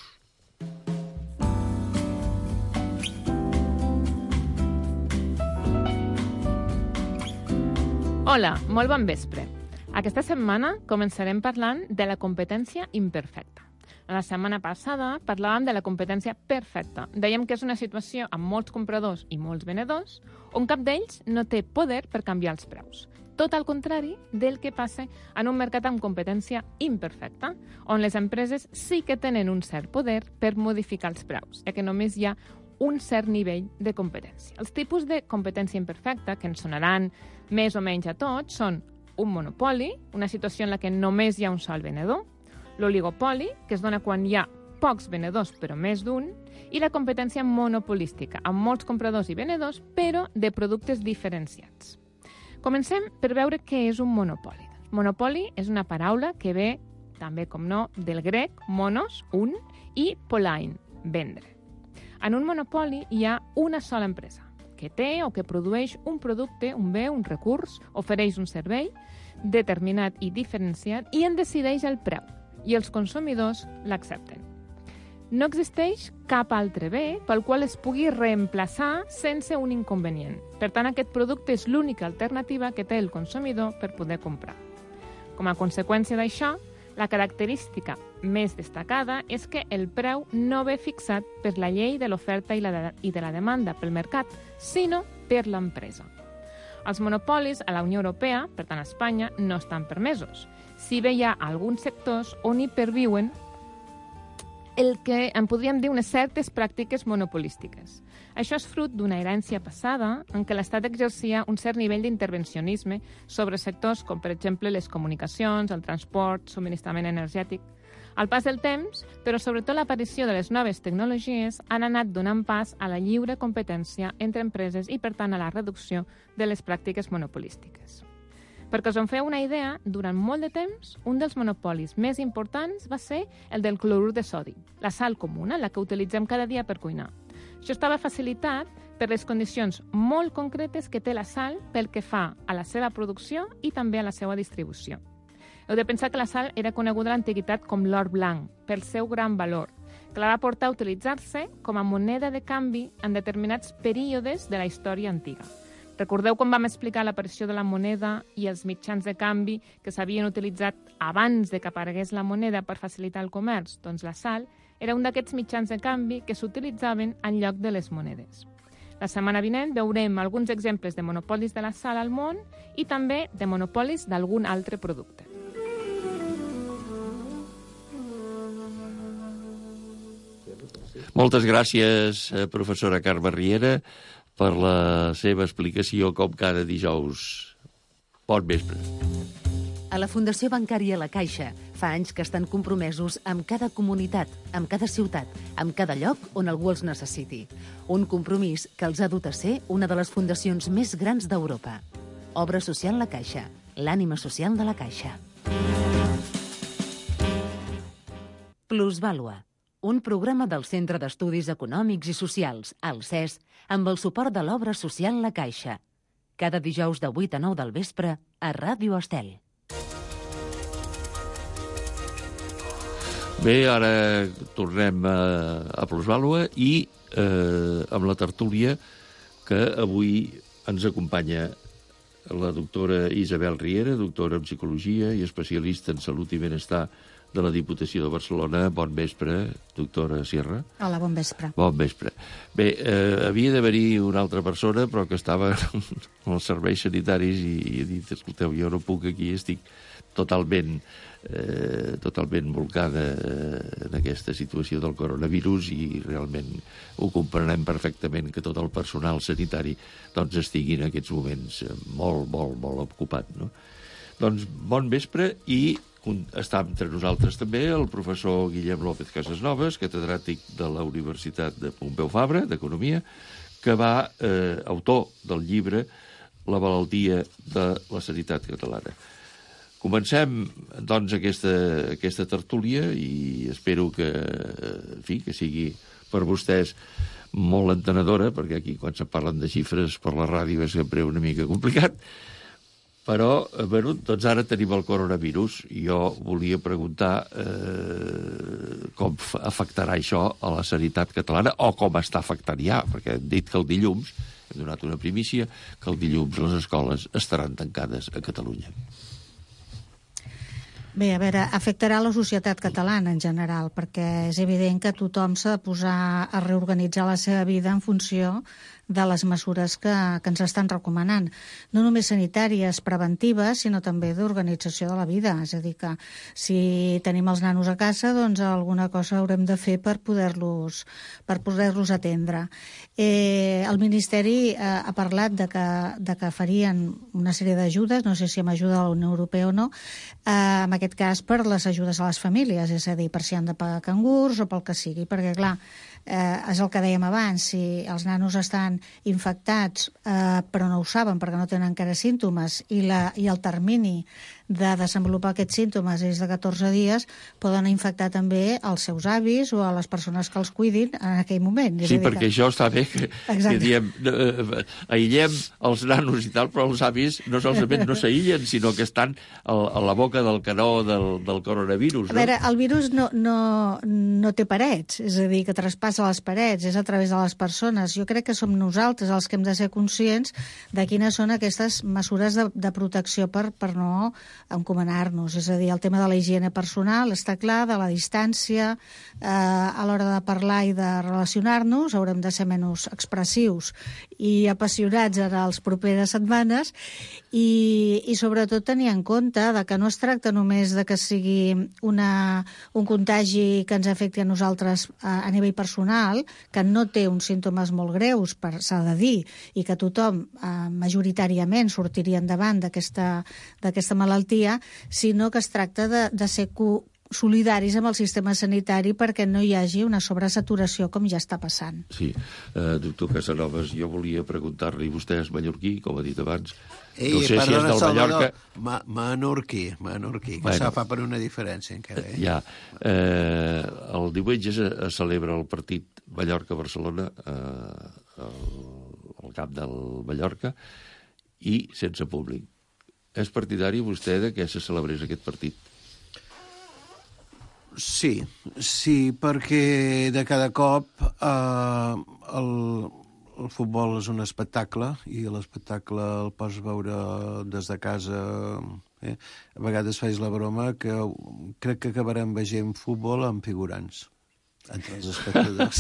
Speaker 4: Hola, molt bon vespre. Aquesta setmana començarem parlant de la competència imperfecta. La setmana passada parlàvem de la competència perfecta. Dèiem que és una situació amb molts compradors i molts venedors on cap d'ells no té poder per canviar els preus. Tot al contrari del que passa en un mercat amb competència imperfecta, on les empreses sí que tenen un cert poder per modificar els preus, ja que només hi ha un cert nivell de competència. Els tipus de competència imperfecta, que ens sonaran més o menys a tots, són un monopoli, una situació en la que només hi ha un sol venedor, l'oligopoli, que es dona quan hi ha pocs venedors però més d'un, i la competència monopolística, amb molts compradors i venedors, però de productes diferenciats. Comencem per veure què és un monopoli. Monopoli és una paraula que ve, també com no, del grec monos, un, i polein, vendre. En un monopoli hi ha una sola empresa, que té o que produeix un producte, un bé, un recurs, ofereix un servei determinat i diferenciat i en decideix el preu, i els consumidors l'accepten. No existeix cap altre bé pel qual es pugui reemplaçar sense un inconvenient. Per tant, aquest producte és l'única alternativa que té el consumidor per poder comprar. Com a conseqüència d'això, La característica més destacada és que el preu no ve fixat per la llei de l'oferta i, la de, i de la demanda pel mercat, sinó per l'empresa. Els monopolis a la Unió Europea, per tant a Espanya, no estan permesos. Si bé hi ha alguns sectors on hi perviuen el que en podríem dir unes certes pràctiques monopolístiques. Això és fruit d'una herència passada en què l'Estat exercia un cert nivell d'intervencionisme sobre sectors com, per exemple, les comunicacions, el transport, subministrament energètic. Al pas del temps, però sobretot l'aparició de les noves tecnologies, han anat donant pas a la lliure competència entre empreses i, per tant, a la reducció de les pràctiques monopolístiques. Perquè us en feu una idea, durant molt de temps, un dels monopolis més importants va ser el del clorur de sodi, la sal comuna, la que utilitzem cada dia per cuinar. Això estava facilitat per les condicions molt concretes que té la sal pel que fa a la seva producció i també a la seva distribució. Heu de pensar que la sal era coneguda a l'antiguitat com l'or blanc, pel seu gran valor, que la va portar a utilitzar-se com a moneda de canvi en determinats períodes de la història antiga. Recordeu quan vam explicar l'aparició de la moneda i els mitjans de canvi que s'havien utilitzat abans de que aparegués la moneda per facilitar el comerç? Doncs la sal era un d'aquests mitjans de canvi que s'utilitzaven en lloc de les monedes. La setmana vinent veurem alguns exemples de monopolis de la sal al món i també de monopolis d'algun altre producte.
Speaker 5: Moltes gràcies, professora Carme Riera, per la seva explicació com cada dijous. Bon vespre.
Speaker 3: A la Fundació Bancària La Caixa fa anys que estan compromesos amb cada comunitat, amb cada ciutat, amb cada lloc on algú els necessiti. Un compromís que els ha dut a ser una de les fundacions més grans d'Europa. Obra Social La Caixa, l'ànima social de la Caixa. Plusvàlua, un programa del Centre d'Estudis Econòmics i Socials, el C E S, amb el suport de l'Obra Social La Caixa. Cada dijous de vuit a nou del vespre a Ràdio Estel.
Speaker 5: Bé, ara tornem a, a Plusvàlua i eh, amb la tertúlia que avui ens acompanya la doctora Isabel Riera, doctora en Psicologia i especialista en Salut i Benestar de la Diputació de Barcelona. Bon vespre, doctora Sierra.
Speaker 7: Hola, bon vespre.
Speaker 5: Bon vespre. Bé, eh, havia d'haver-hi una altra persona, però que estava en els serveis sanitaris i, i he dit, escolteu, jo no puc aquí, estic totalment, eh, totalment volcada en aquesta situació del coronavirus i realment ho comprenem perfectament que tot el personal sanitari doncs estigui en aquests moments molt, molt, molt ocupat, no? Doncs bon vespre i està entre nosaltres també el professor Guillem López Casasnovas, catedràtic de la Universitat de Pompeu Fabra, d'Economia, que va, eh, autor del llibre La malaltia de la sanitat catalana. Comencem, doncs, aquesta, aquesta tertúlia i espero que, en fi, que sigui per vostès molt entenedora, perquè aquí quan se parlen de xifres per la ràdio és sempre una mica complicat. Però, bueno, doncs ara tenim el coronavirus i jo volia preguntar eh, com afectarà això a la sanitat catalana o com està afectant ja, perquè hem dit que el dilluns, hem donat una primícia, que el dilluns les escoles estaran tancades a Catalunya.
Speaker 7: Bé, a veure, afectarà la societat catalana en general, perquè és evident que tothom s'ha de posar a reorganitzar la seva vida en funció de les mesures que, que ens estan recomanant. No només sanitàries, preventives, sinó també d'organització de la vida. És a dir, que si tenim els nanos a casa, doncs alguna cosa haurem de fer per poder-los per poder-los atendre. Eh, el Ministeri eh, ha parlat de que, de que farien una sèrie d'ajudes, no sé si amb ajuda de la Unió Europea o no, eh, en aquest cas per les ajudes a les famílies, és a dir, per si han de pagar cangurs o pel que sigui, perquè, clar, eh, és el que dèiem abans, si els nanos estan infectats eh, però no ho saben perquè no tenen encara símptomes i, la, i el termini de desenvolupar aquests símptomes és de catorze dies, poden infectar també els seus avis o a les persones que els cuidin en aquell moment.
Speaker 5: Sí, perquè que... això està bé que, que diem, eh, aïllem els nanos i tal, però els avis no solament no s'aïllen, sinó que estan a, a la boca del canó del, del coronavirus. No?
Speaker 7: A veure, el virus no, no, no té parets, és a dir, que traspassa a les parets, és a través de les persones. Jo crec que som nosaltres els que hem de ser conscients de quines són aquestes mesures de, de protecció per, per no encomanar-nos. És a dir, el tema de la higiene personal està clar, de la distància, eh, a l'hora de parlar i de relacionar-nos, haurem de ser menys expressius i apassionats en les properes setmanes i, i sobretot tenir en compte de que no es tracta només de que sigui una, un contagi que ens afecti a nosaltres a, a nivell personal, que no té uns símptomes molt greus, per s'ha de dir, i que tothom eh, majoritàriament sortiria endavant d'aquesta d'aquesta malaltia, sinó que es tracta de, de ser co solidaris amb el sistema sanitari perquè no hi hagi una sobresaturació com ja està passant.
Speaker 5: Sí, uh, doctor Casanovas, jo volia preguntar-li, vostè és mallorquí, com ha dit abans,
Speaker 6: Ei,
Speaker 5: no sé
Speaker 6: perdona,
Speaker 5: si és del
Speaker 6: Salvador,
Speaker 5: Mallorca...
Speaker 6: Ma menorquí, menorquí, que
Speaker 5: bueno,
Speaker 6: se fa per una diferència encara. Eh?
Speaker 5: Ja, eh, el diumenge es, es celebra el partit Mallorca-Barcelona eh, al, al camp del Mallorca i sense públic. És partidari vostè de que se celebrés aquest partit?
Speaker 6: Sí, sí, perquè de cada cop eh, el, el futbol és un espectacle i l'espectacle el pots veure des de casa. Eh? A vegades faig la broma que crec que acabarem veient futbol amb figurants entre els espectadors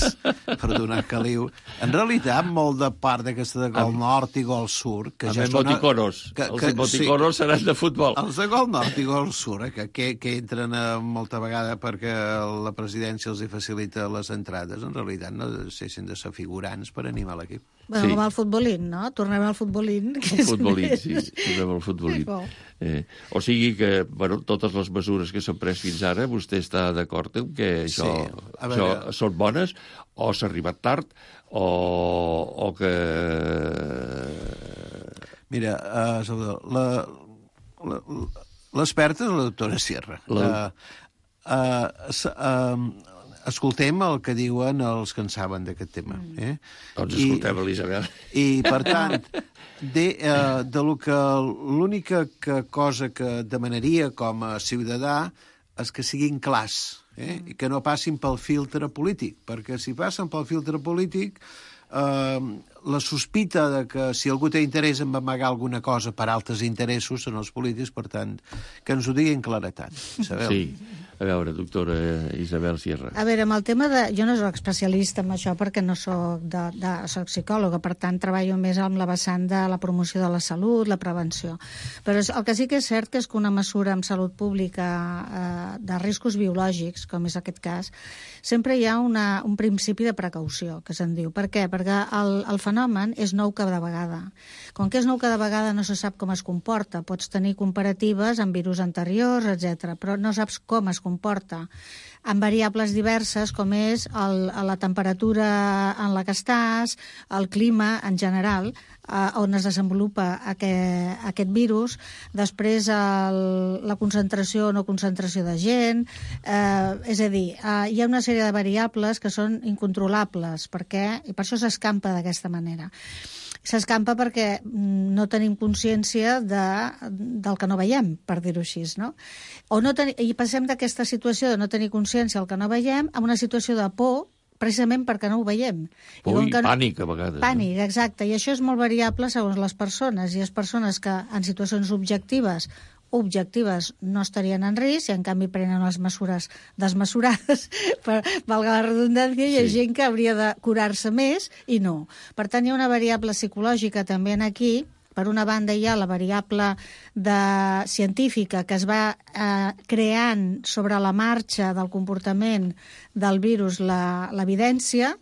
Speaker 6: per donar caliu. En realitat, molt de part d'aquesta de gol nord i gol sud... Que
Speaker 5: amb
Speaker 6: ja
Speaker 5: emoticonos.
Speaker 6: Que,
Speaker 5: els
Speaker 6: que,
Speaker 5: emoticonos sí, seran de futbol.
Speaker 6: Els de gol nord i gol sud, eh, que, que, que entren a molta vegada perquè la presidència els hi facilita les entrades, en realitat no deixen de ser figurants per animar l'equip.
Speaker 7: Bueno,
Speaker 5: Sí.
Speaker 7: com al futbolín, no? Tornem al futbolín. Que
Speaker 5: El
Speaker 7: és
Speaker 5: futbolín,
Speaker 7: més-
Speaker 5: sí, tornem al futbolín.
Speaker 7: Bo.
Speaker 5: Eh, o sigui que, bueno, totes les mesures que s'han pres fins ara, vostè està d'acord amb que això,
Speaker 6: Sí, a
Speaker 5: això
Speaker 6: veure.
Speaker 5: són bones, o s'ha arribat tard, o, o que...
Speaker 6: Mira, uh, Salvador, la, la, l'experta és la doctora Sierra.
Speaker 5: La-
Speaker 6: Uh, uh, s- uh, escoltem el que diuen els que en saben d'aquest tema. Eh?
Speaker 5: Doncs
Speaker 6: I-
Speaker 5: escoltem, Elisabet.
Speaker 6: I, per tant, de, eh, de lo que l'única que cosa que demanaria com a ciutadà és que siguin clars, eh? I que no passin pel filtre polític, perquè si passen pel filtre polític, eh, la sospita de que si algú té interès en amagar alguna cosa per altres interessos són els polítics, per tant, que ens ho diguin claretat, sabeu?
Speaker 5: Sí. A veure, doctora Isabel Sierra.
Speaker 7: A veure, amb el tema de... Jo no soc especialista en això perquè no soc, de, de, soc psicòloga, per tant treballo més amb la vessant de la promoció de la salut, la prevenció. Però el que sí que és cert que és que una mesura en salut pública eh, de riscos biològics, com és aquest cas, sempre hi ha una, un principi de precaució, que se'n diu. Per què? Perquè el, el fenomen és nou cada vegada. Com que és nou cada vegada no se sap com es comporta. Pots tenir comparatives amb virus anteriors, etcètera, però no saps com es comporta amb variables diverses com és el, la temperatura en la que estàs, el clima en general, eh, on es desenvolupa aquest, aquest virus, després el, la concentració o no concentració de gent, eh, és a dir, eh, hi ha una sèrie de variables que són incontrolables, perquè, i per això s'escampa d'aquesta manera. S'escampa perquè no tenim consciència de, del que no veiem, per dir-ho així, no? O no ten... I passem d'aquesta situació de no tenir consciència del que no veiem a una situació de por, precisament perquè no ho veiem.
Speaker 5: Por i
Speaker 7: que no...
Speaker 5: pànic, a vegades.
Speaker 7: Pànic, exacte. I això és molt variable segons les persones. Hi ha persones que en situacions objectives objectives no estarien en risc i en canvi prenen les mesures desmesurades, per, valga la redundància, i hi ha
Speaker 5: Sí.
Speaker 7: gent que hauria de curar-se més i no. Per tant, hi ha una variable psicològica també en aquí. Per una banda hi ha la variable de científica que es va eh, creant sobre la marxa del comportament del virus l'evidència,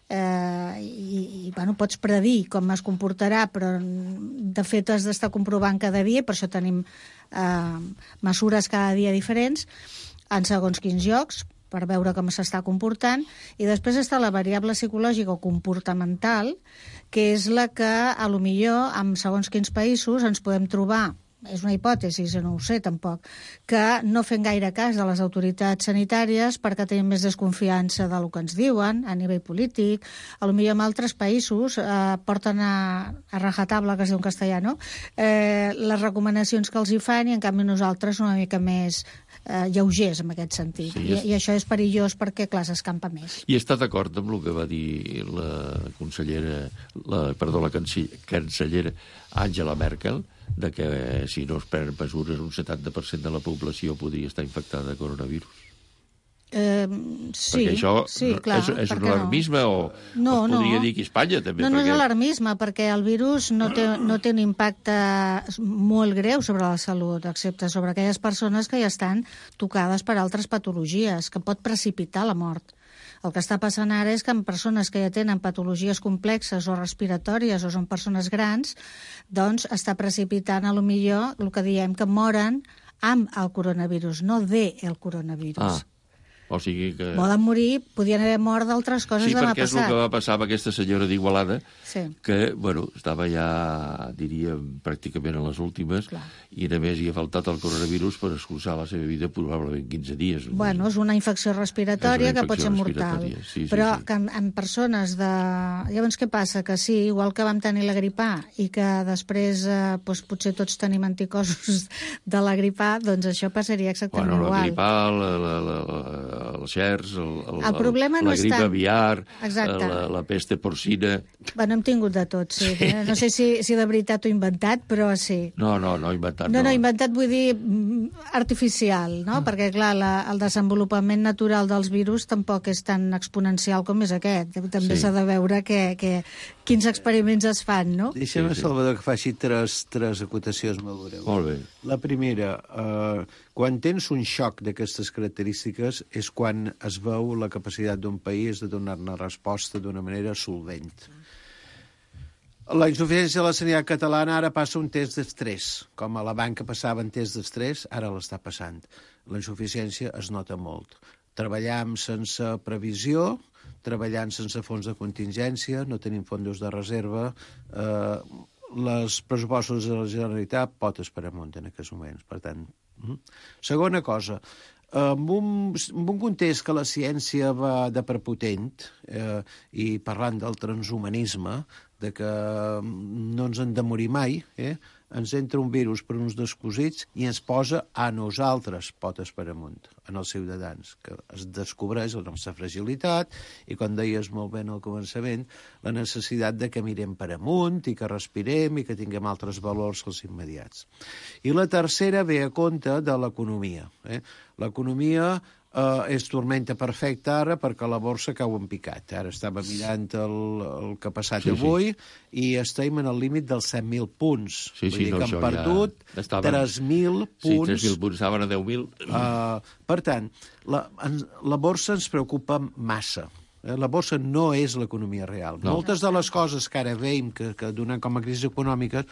Speaker 7: eh, i, i bueno, pots predir com es comportarà, però de fet has d'estar comprovant cada dia, per això tenim eh, mesures cada dia diferents en segons quins llocs, per veure com s'està comportant, i després està la variable psicològica o comportamental, que és la que, a lo millor, en segons quins països ens podem trobar, és una hipòtesi, no ho sé tampoc, que no fem gaire cas de les autoritats sanitàries perquè tenim més desconfiança del que ens diuen a nivell polític. A lo millor en altres països eh, porten a, a rajatabla, que es diu en castellà, no? Eh, les recomanacions que els hi fan, i en canvi nosaltres una mica més eh, lleugers, en aquest sentit.
Speaker 5: Sí,
Speaker 7: I,
Speaker 5: és...
Speaker 7: I això és perillós perquè, clar, s'escampa més.
Speaker 5: I està d'acord amb el que va dir la consellera, la, perdó, la cancellera Angela Merkel, de que eh, si no es prenen mesures un setanta per cent de la població podria estar infectada de coronavirus.
Speaker 7: Eh, sí,
Speaker 5: perquè això
Speaker 7: sí, clar,
Speaker 5: és, és un alarmisme
Speaker 7: no?
Speaker 5: o
Speaker 7: no,
Speaker 5: es podria
Speaker 7: no.
Speaker 5: dir que Espanya també.
Speaker 7: No, no
Speaker 5: perquè...
Speaker 7: és alarmisme, perquè el virus no té, no té un impacte molt greu sobre la salut, excepte sobre aquelles persones que ja estan tocades per altres patologies, que pot precipitar la mort. El que està passant ara és que en persones que ja tenen patologies complexes o respiratòries o són persones grans, doncs està precipitant a lo millor el que diem que moren amb el coronavirus, no de el coronavirus.
Speaker 5: Ah. O sigui que...
Speaker 7: Poden morir, podien haver mort d'altres coses
Speaker 5: sí,
Speaker 7: demà
Speaker 5: passat. Sí, perquè és el que va passar amb aquesta senyora d'Igualada,
Speaker 7: sí.
Speaker 5: que, bueno, estava ja, diríem, pràcticament a les últimes, clar. I només hi ha faltat el coronavirus per excusar la seva vida probablement quinze dies.
Speaker 7: Bueno, és una infecció respiratòria una infecció que pot ser mortal.
Speaker 5: Sí, sí,
Speaker 7: però
Speaker 5: sí.
Speaker 7: que en, en persones de... Llavors, què passa? Que sí, igual que vam tenir la gripà i que després eh, doncs, potser tots tenim anticossos de la gripà, doncs això passaria exactament
Speaker 5: bueno,
Speaker 7: igual.
Speaker 5: La gripà, la, la, la, la el xers, el, el,
Speaker 7: el problema
Speaker 5: el,
Speaker 7: no
Speaker 5: la gripa
Speaker 7: tant...
Speaker 5: aviar,
Speaker 7: Exacte.
Speaker 5: la, la peste porcina...
Speaker 7: Bueno, hem tingut de tot, sí. sí. No sé si, si de veritat ho he inventat, però sí.
Speaker 5: No, no, no inventat.
Speaker 7: No,
Speaker 5: no,
Speaker 7: no inventat vull dir artificial, no? Mm. Perquè, clar, la, el desenvolupament natural dels virus tampoc és tan exponencial com és aquest. També s'ha sí. de veure que, que, quins experiments es fan, no?
Speaker 6: Deixa'm,
Speaker 5: sí, sí.
Speaker 6: Salvador, que faci tres, tres acotacions molt breus.
Speaker 5: Molt bé.
Speaker 6: La primera, eh, quan tens un xoc d'aquestes característiques és quan es veu la capacitat d'un país de donar-ne resposta d'una manera solvent. La insuficiència de la sanitat catalana ara passa un test d'estrès. Com a la banca passava un test d'estrès, ara l'està passant. La insuficiència es nota molt. Treballam sense previsió, treballant sense fons de contingència, no tenim fondos de reserva, eh, les pressupostos de la Generalitat potes per amunt en aquests moments. Per tant, mm. segona cosa, en un, en un context que la ciència va de prepotent, eh, i parlant del transhumanisme, de que no ens hem de morir mai, eh, ens entra un virus per uns descosits i ens posa a nosaltres potes per amunt, en els ciutadans, que es descobreix la nostra fragilitat i, com deies molt bé al començament, la necessitat de que mirem per amunt i que respirem i que tinguem altres valors que els immediats. I la tercera ve a compte de l'economia. Eh? L'economia Uh, és tormenta perfecta ara perquè la borsa cau en picat. Ara estava mirant el, el que ha passat sí, avui sí. i estem en el límit dels set mil punts.
Speaker 5: Sí,
Speaker 6: Vull
Speaker 5: sí,
Speaker 6: dir
Speaker 5: no,
Speaker 6: que han perdut ja estaven... tres mil punts.
Speaker 5: Sí, tres mil punts, estaven a deu mil.
Speaker 6: Uh, per tant, la, la borsa ens preocupa massa. La borsa no és l'economia real. No. Moltes de les coses que ara veiem que, que donen com a crisis econòmiques,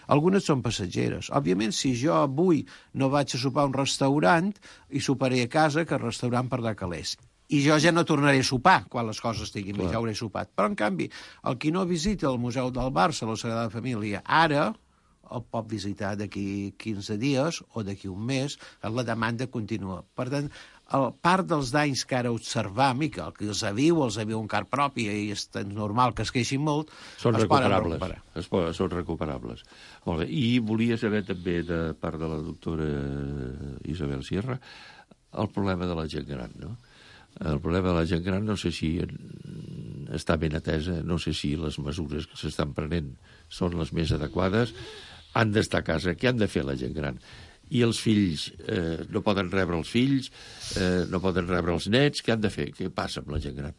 Speaker 6: algunes són passatgeres. Òbviament, si jo avui no vaig a sopar a un restaurant i soparé a casa, que el restaurant perdrà calés. I jo ja no tornaré a sopar quan les coses estiguin bé, ja hauré sopat. Però, en canvi, el qui no visita el Museu del Barça, la Sagrada Família, ara el pot visitar d'aquí quinze dies o d'aquí un mes, la demanda continua. Per tant, el part dels danys que ara observam i que el que els aviu, els aviu un car propi i és normal que es queixin molt,
Speaker 5: són
Speaker 6: es
Speaker 5: recuperables.
Speaker 6: recuperar.
Speaker 5: Es poden, són recuperables. Molt bé. I volia saber també, de part de la doctora Isabel Sierra, el problema de la gent gran, no? El problema de la gent gran no sé si està ben atesa, no sé si les mesures que s'estan prenent són les més adequades, han d'estar a casa. Què han de fer la gent gran? I els fills eh, no poden rebre els fills, eh, no poden rebre els nets, què han de fer? Què passa amb la gent gran?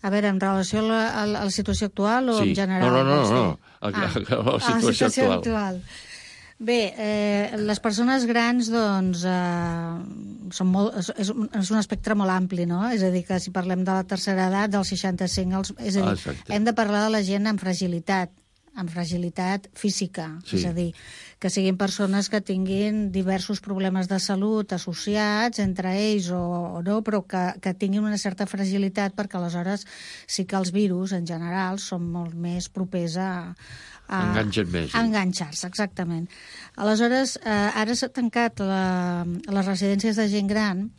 Speaker 7: A veure, en relació a la, a la situació actual o
Speaker 5: sí.
Speaker 7: en general?
Speaker 5: No, no, no, no. A,
Speaker 7: ah.
Speaker 5: a, a, la situació,
Speaker 7: a la situació
Speaker 5: actual.
Speaker 7: actual. Bé, eh, les persones grans, doncs, eh, són molt, és, és un espectre molt ampli, no? És a dir, que si parlem de la tercera edat, dels seixanta-cinc, als, és a dir, ah, hem de parlar de la gent amb fragilitat, amb fragilitat física, sí. És a dir, que siguin persones que tinguin diversos problemes de salut associats entre ells o, o no, però que, que tinguin una certa fragilitat, perquè aleshores sí que els virus, en general, són molt més propers a... a
Speaker 5: enganxen més.
Speaker 7: A enganxar-se, exactament. Aleshores, eh, ara s'ha tancat la, les residències de gent gran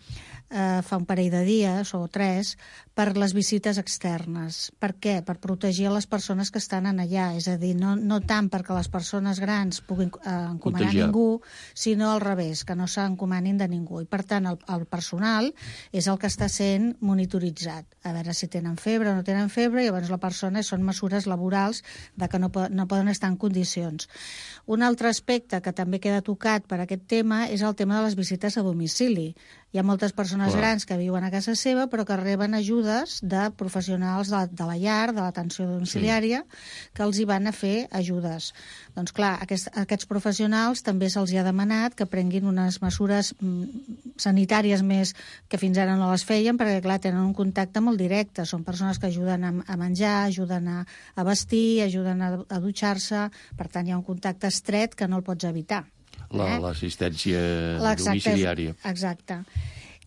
Speaker 7: eh, fa un parell de dies o tres, per les visites externes. Per què? Per protegir les persones que estan en allà. És a dir, no, no tant perquè les persones grans puguin eh, encomanar
Speaker 5: Contagiar.
Speaker 7: ningú, sinó al revés, que no s'encomanin de ningú. I, per tant, el, el personal és el que està sent monitoritzat. A veure si tenen febre o no tenen febre, i llavors la persona són mesures laborals de que no, po no poden estar en condicions. Un altre aspecte que també queda tocat per aquest tema és el tema de les visites a domicili. Hi ha moltes persones
Speaker 5: Clar.
Speaker 7: grans que viuen a casa seva però que reben ajudes de professionals de, de la llar, de l'atenció domiciliària, sí. que els hi van a fer ajudes. Doncs clar, aquest, aquests professionals també se'ls ha demanat que prenguin unes mesures mm, sanitàries més que fins ara no les feien, perquè clar, tenen un contacte molt directe. Són persones que ajuden a, a menjar, ajuden a, a vestir, ajuden a, a dutxar-se, per tant hi ha un contacte estret que no el pots evitar.
Speaker 5: L'assistència eh? domiciliària.
Speaker 7: Exacte.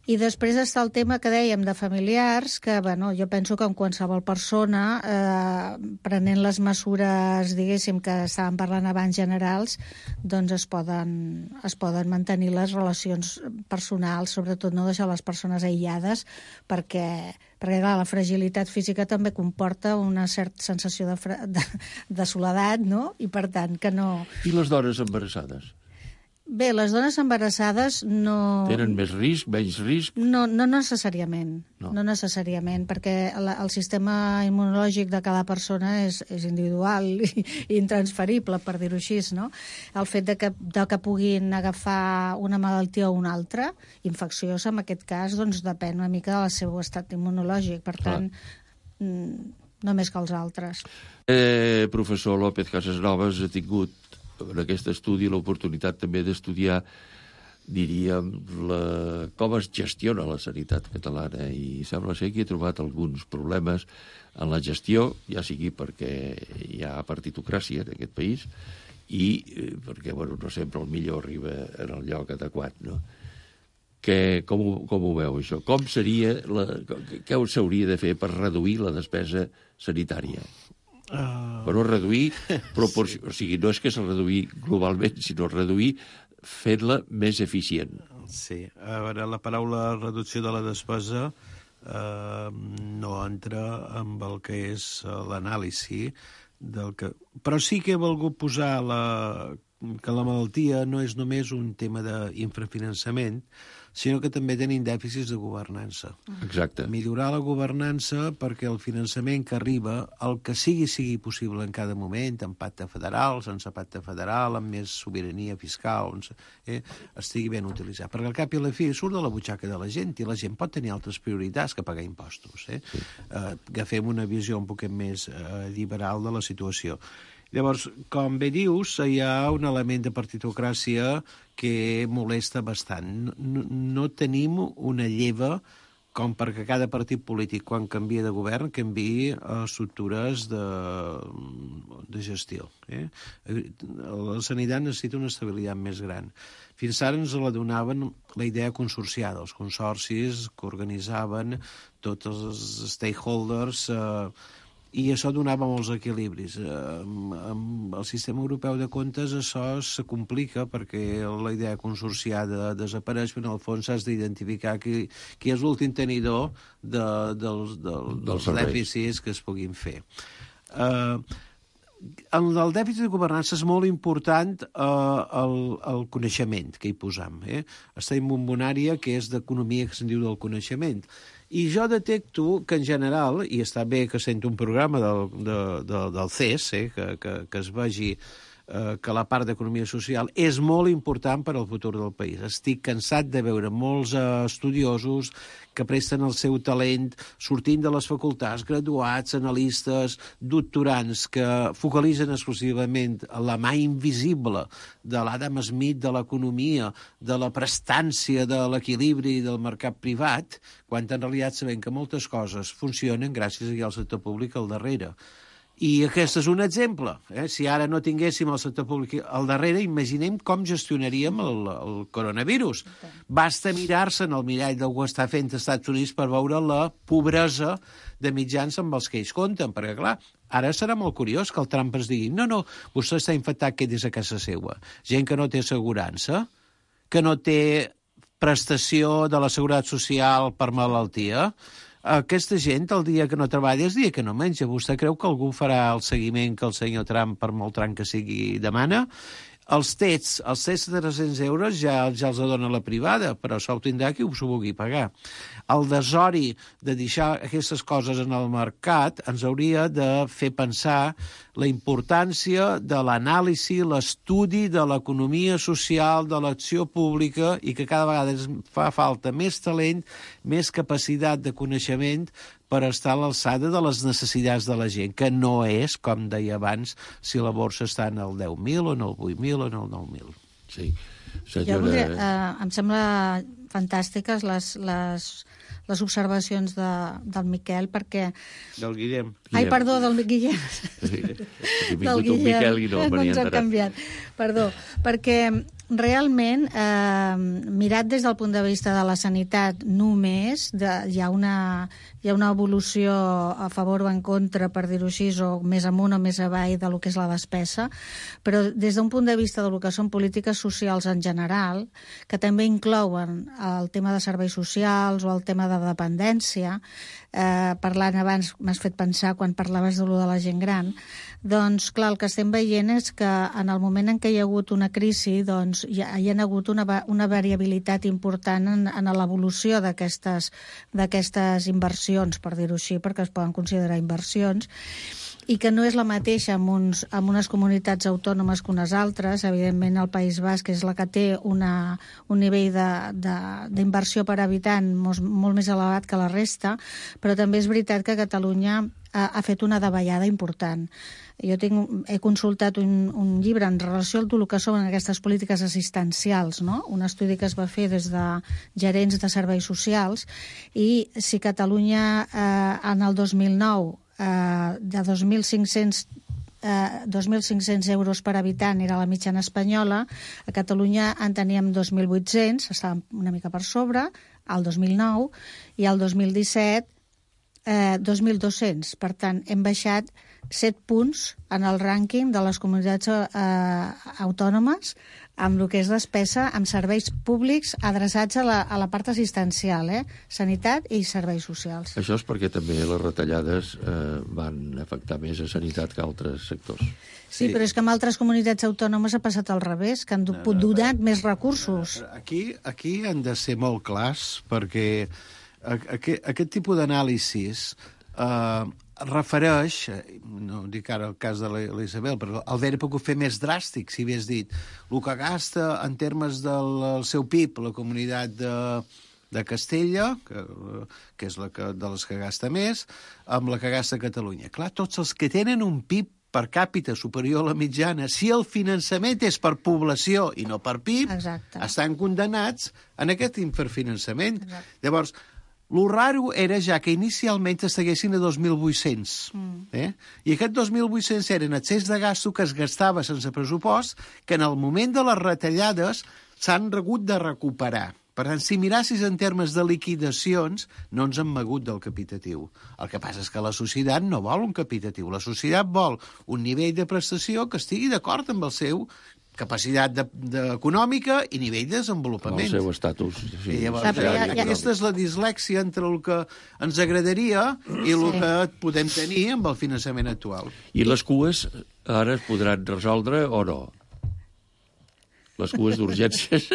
Speaker 7: I després està el tema que dèiem de familiars, que bueno, jo penso que en qualsevol persona, eh, prenent les mesures, diguéssim, que estàvem parlant abans generals, doncs es poden, es poden mantenir les relacions personals, sobretot no deixar les persones aïllades, perquè, perquè clar, la fragilitat física també comporta una certa sensació de, de, de soledat, no? I per tant que no...
Speaker 5: I les dones embarassades?
Speaker 7: Bé, les dones embarassades no...
Speaker 5: Tenen més risc, menys risc?
Speaker 7: No, no necessàriament, no,
Speaker 5: no
Speaker 7: necessàriament, perquè la, el sistema immunològic de cada persona és, és individual i, i intransferible, per dir-ho així, no? El fet de que, de que puguin agafar una malaltia o una altra, infecciosa en aquest cas, doncs depèn una mica del seu estat immunològic, per tant, mm, no més que els altres.
Speaker 5: Eh, professor López Casasnovas ha tingut en aquest estudi l'oportunitat també d'estudiar, diríem, la, com es gestiona la sanitat catalana, i sembla ser que he trobat alguns problemes en la gestió, ja sigui perquè hi ha partitocràcia en aquest país i eh, perquè bueno, no sempre el millor arriba en el lloc adequat, no? Que, com, ho, com ho veu, això? Com seria la, què s'hauria de fer per reduir la despesa sanitària? Uh... Bueno, reduir proporció... Sí. O sigui, no és que s'ha reduir globalment, sinó reduir fent-la més eficient.
Speaker 6: Sí. A veure, la paraula reducció de la despesa eh, no entra amb el que és l'anàlisi del que... Però sí que he volgut posar la... que la malaltia no és només un tema d'infrafinançament, sinó que també tenim dèficits de governança.
Speaker 5: Exacte.
Speaker 6: Millorar la governança perquè el finançament que arriba, el que sigui, sigui possible en cada moment, amb pacte federal, sense pacte federal, amb més sobirania fiscal, eh, estigui ben utilitzat. Perquè al cap i a la fi surt de la butxaca de la gent i la gent pot tenir altres prioritats que pagar impostos. Eh? Sí. Eh, agafem una visió un poc més eh, liberal de la situació. Llavors, com bé dius, hi ha un element de partitocràcia que molesta bastant. No, no tenim una lleva com perquè cada partit polític, quan canvia de govern, canviï estructures de, de gestió. Eh? La sanitat necessita una estabilitat més gran. Fins ara ens la donaven la idea consorciada, els consorcis que organitzaven tots els stakeholders, eh, i això donava molts equilibris. Amb, amb el sistema europeu de comptes això se complica perquè la idea consorciada desapareix, però en el fons has d'identificar qui, qui és l'últim tenidor de, dels, del, dels dèficits que es puguin fer. Uh, en el dèficit de governança és molt important uh, el, el coneixement que hi posam. Eh? Està en bombonària, que és d'economia, que se'n diu del coneixement. I jo detecto que, en general, i està bé que sento un programa del, de, de, del C E S, eh, que, que, que es vegi eh, que la part d'economia social és molt important per al futur del país. Estic cansat de veure molts eh, estudiosos que presten el seu talent sortint de les facultats, graduats, analistes, doctorants, que focalitzen exclusivament la mà invisible de l'Adam Smith de l'economia, de la prestància, de l'equilibri del mercat privat, quan en realitat sabem que moltes coses funcionen gràcies al sector públic al darrere. I aquest és un exemple. Eh? Si ara no tinguéssim el sector públic al darrere, imaginem com gestionaríem el, el coronavirus. Basta mirar-se en el mirall del que està fent als Estats Units per veure la pobresa de mitjans amb els que ells compten, perquè, clar, ara serà molt curiós que el Trump ens digui no, no, vostè està infectat, que des a casa seva. Gent que no té assegurança, que no té prestació de la Seguretat Social per malaltia, aquesta gent, el dia que no treballa és el dia que no menja. Vostè creu que algú farà el seguiment que el senyor Trump, per molt tram que sigui, demana? Els tests, els tests de tres-cents euros ja, ja els dona la privada, però això ho tindrà qui ho vulgui pagar. El desori de deixar aquestes coses en el mercat ens hauria de fer pensar la importància de l'anàlisi, l'estudi de l'economia social, de l'acció pública, i que cada vegada ens fa falta més talent, més capacitat de coneixement per estar a l'alçada de les necessitats de la gent, que no és, com deia abans, si la borsa està en el deu mil o en el vuit mil o en el nou mil.
Speaker 5: Sí. Senyora...
Speaker 7: Jo voldria, eh, em sembla fantàstiques les, les, les observacions de, del Miquel, perquè...
Speaker 6: Del Guillem.
Speaker 7: Ai, perdó, del Guillem.
Speaker 5: Sí. Del Guillem. Miquel i no,
Speaker 7: no ens hem canviat. Perdó, perquè realment, eh, mirat des del punt de vista de la sanitat només, de, hi, ha una, hi ha una evolució a favor o en contra, per dir-ho així, o més amunt o més avall de lo que és la despesa, però des d'un punt de vista del que són polítiques socials en general, que també inclouen el tema de serveis socials o el tema de dependència, eh, parlant abans, m'has fet pensar quan parlaves de lo de la gent gran, doncs, clar, el que estem veient és que en el moment en què hi ha hagut una crisi, doncs, hi ha, hi ha hagut una, una variabilitat important en, en l'evolució d'aquestes d'aquestes inversions, per dir-ho així, perquè es poden considerar inversions, i que no és la mateixa en, uns, en unes comunitats autònomes que unes altres. Evidentment, el País Basc és la que té una, un nivell d'inversió per habitant molt, molt més elevat que la resta, però també és veritat que Catalunya ha, ha fet una davallada important. Jo tinc, he consultat un, un llibre en relació amb el que són aquestes polítiques assistencials, no? Un estudi que es va fer des de gerents de serveis socials, i si Catalunya eh, en el dos mil nou eh, de dos mil cinc-cents eh, dos mil cinc-cents euros per habitant era la mitjana espanyola, a Catalunya en teníem dos mil vuit-cents, estàvem una mica per sobre, al dos mil nou, i al dos mil disset eh, dos mil dos-cents. Per tant, hem baixat set punts en el rànquing de les comunitats eh, autònomes amb el que és despesa amb serveis públics adreçats a la, a la part assistencial, eh? Sanitat i serveis socials.
Speaker 5: Això és perquè també les retallades eh, van afectar més a sanitat que a altres sectors.
Speaker 7: Sí, sí, però és que en altres comunitats autònomes ha passat al revés, que han no, no, donat no, més recursos.
Speaker 6: Aquí, aquí han de ser molt clars, perquè aquest, aquest tipus d'anàlisis eh, refereix, no dic ara el cas de l'Isabel, però el d'haver pogut fer més dràstic, si hagués dit el que gasta en termes del seu P I B la comunitat de, de Castella, que, que és la que, de les que gasta més, amb la que gasta Catalunya. Clar, tots els que tenen un P I B per càpita superior a la mitjana, si el finançament és per població i no per P I B, exacte, estan condenats en aquest infrafinançament. Exacte. Llavors, lo raro era ja que inicialment estiguessin a dos mil vuit-cents. Mm. Eh? I aquests dos mil vuit-cents eren excés de gasto que es gastava sense pressupost, que en el moment de les retallades s'han hagut de recuperar. Per tant, si mirassis en termes de liquidacions, no ens hem mogut del capitatiu. El que passa és que la societat no vol un capitatiu. La societat vol un nivell de prestació que estigui d'acord amb el seu capacitat de, de econòmica i nivell de desenvolupament.
Speaker 5: El seu estatus. Sí.
Speaker 6: I llavors, ja, ja, ja. Aquesta és la dislèxia entre el que ens agradaria i el sí. que podem tenir amb el finançament actual.
Speaker 5: I les cues ara es podran resoldre o no? Les cues d'urgències.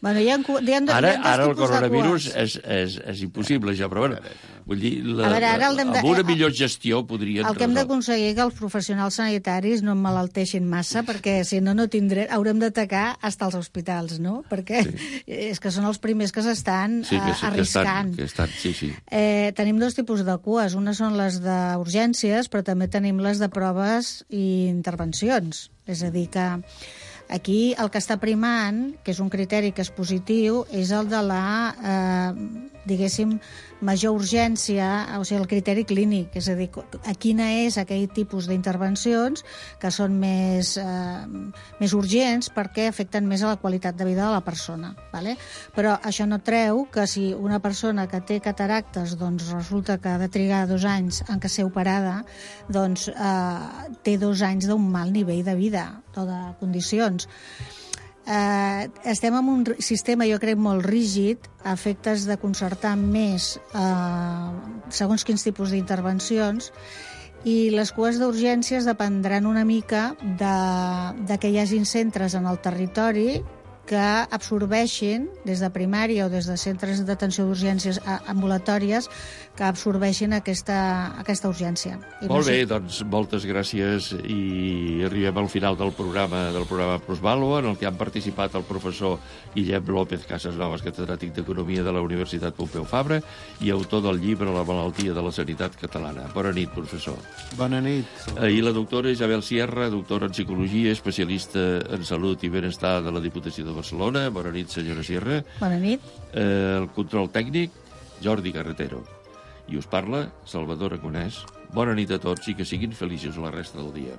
Speaker 7: Bueno, hi ha, hi ha, hi ha
Speaker 5: ara, ara el coronavirus és, és, és impossible ja, però bueno, vull dir, la, veure, ara el de, amb una millor gestió podrien
Speaker 7: el que hem d'aconseguir que els professionals sanitaris no emmalalteixin massa, perquè si no, no tindrem, haurem d'atacar fins als hospitals, no? Perquè sí. és que són els primers que s'estan sí, que, sí, arriscant.
Speaker 5: Que estan, que estan, sí, sí.
Speaker 7: Eh, tenim dos tipus de cues. Una són les d'urgències, però també tenim les de proves i intervencions. És a dir, que aquí el que està primant, que és un criteri que és positiu, és el de la, eh, diguéssim, major urgència, o sigui, el criteri clínic, és a dir, a quina és aquell tipus d'intervencions que són més, eh, més urgents perquè afecten més a la qualitat de vida de la persona. Vale? Però això no treu que si una persona que té cataractes doncs resulta que ha de trigar dos anys en què ser operada, doncs eh, té dos anys d'un mal nivell de vida o de condicions. Eh, estem en un sistema, jo crec, molt rígid, a efectes de concertar més eh, segons quins tipus d'intervencions, i les cues d'urgències dependran una mica de, de que hi hagin centres en el territori que absorbeixin, des de primària o des de centres d'atenció d'urgències ambulatòries, que absorbeixin aquesta, aquesta urgència. I
Speaker 5: Molt
Speaker 7: no sé...
Speaker 5: bé, doncs moltes gràcies i arribem al final del programa del programa Plusvàlua, en el que han participat el professor Guillem López Casasnovas, catedràtic d'Economia de la Universitat Pompeu Fabra i autor del llibre La malaltia de la sanitat catalana. Bona nit, professor.
Speaker 6: Bona nit.
Speaker 5: I la doctora Isabel Sierra, doctora en Psicologia, especialista en Salut i Benestar de la Diputació de Barcelona. Bona nit, senyora Sierra.
Speaker 7: Bona nit.
Speaker 5: Eh, el control tècnic, Jordi Carretero. I us parla Salvador Agonès. Bona nit a tots i que siguin feliços la resta del dia.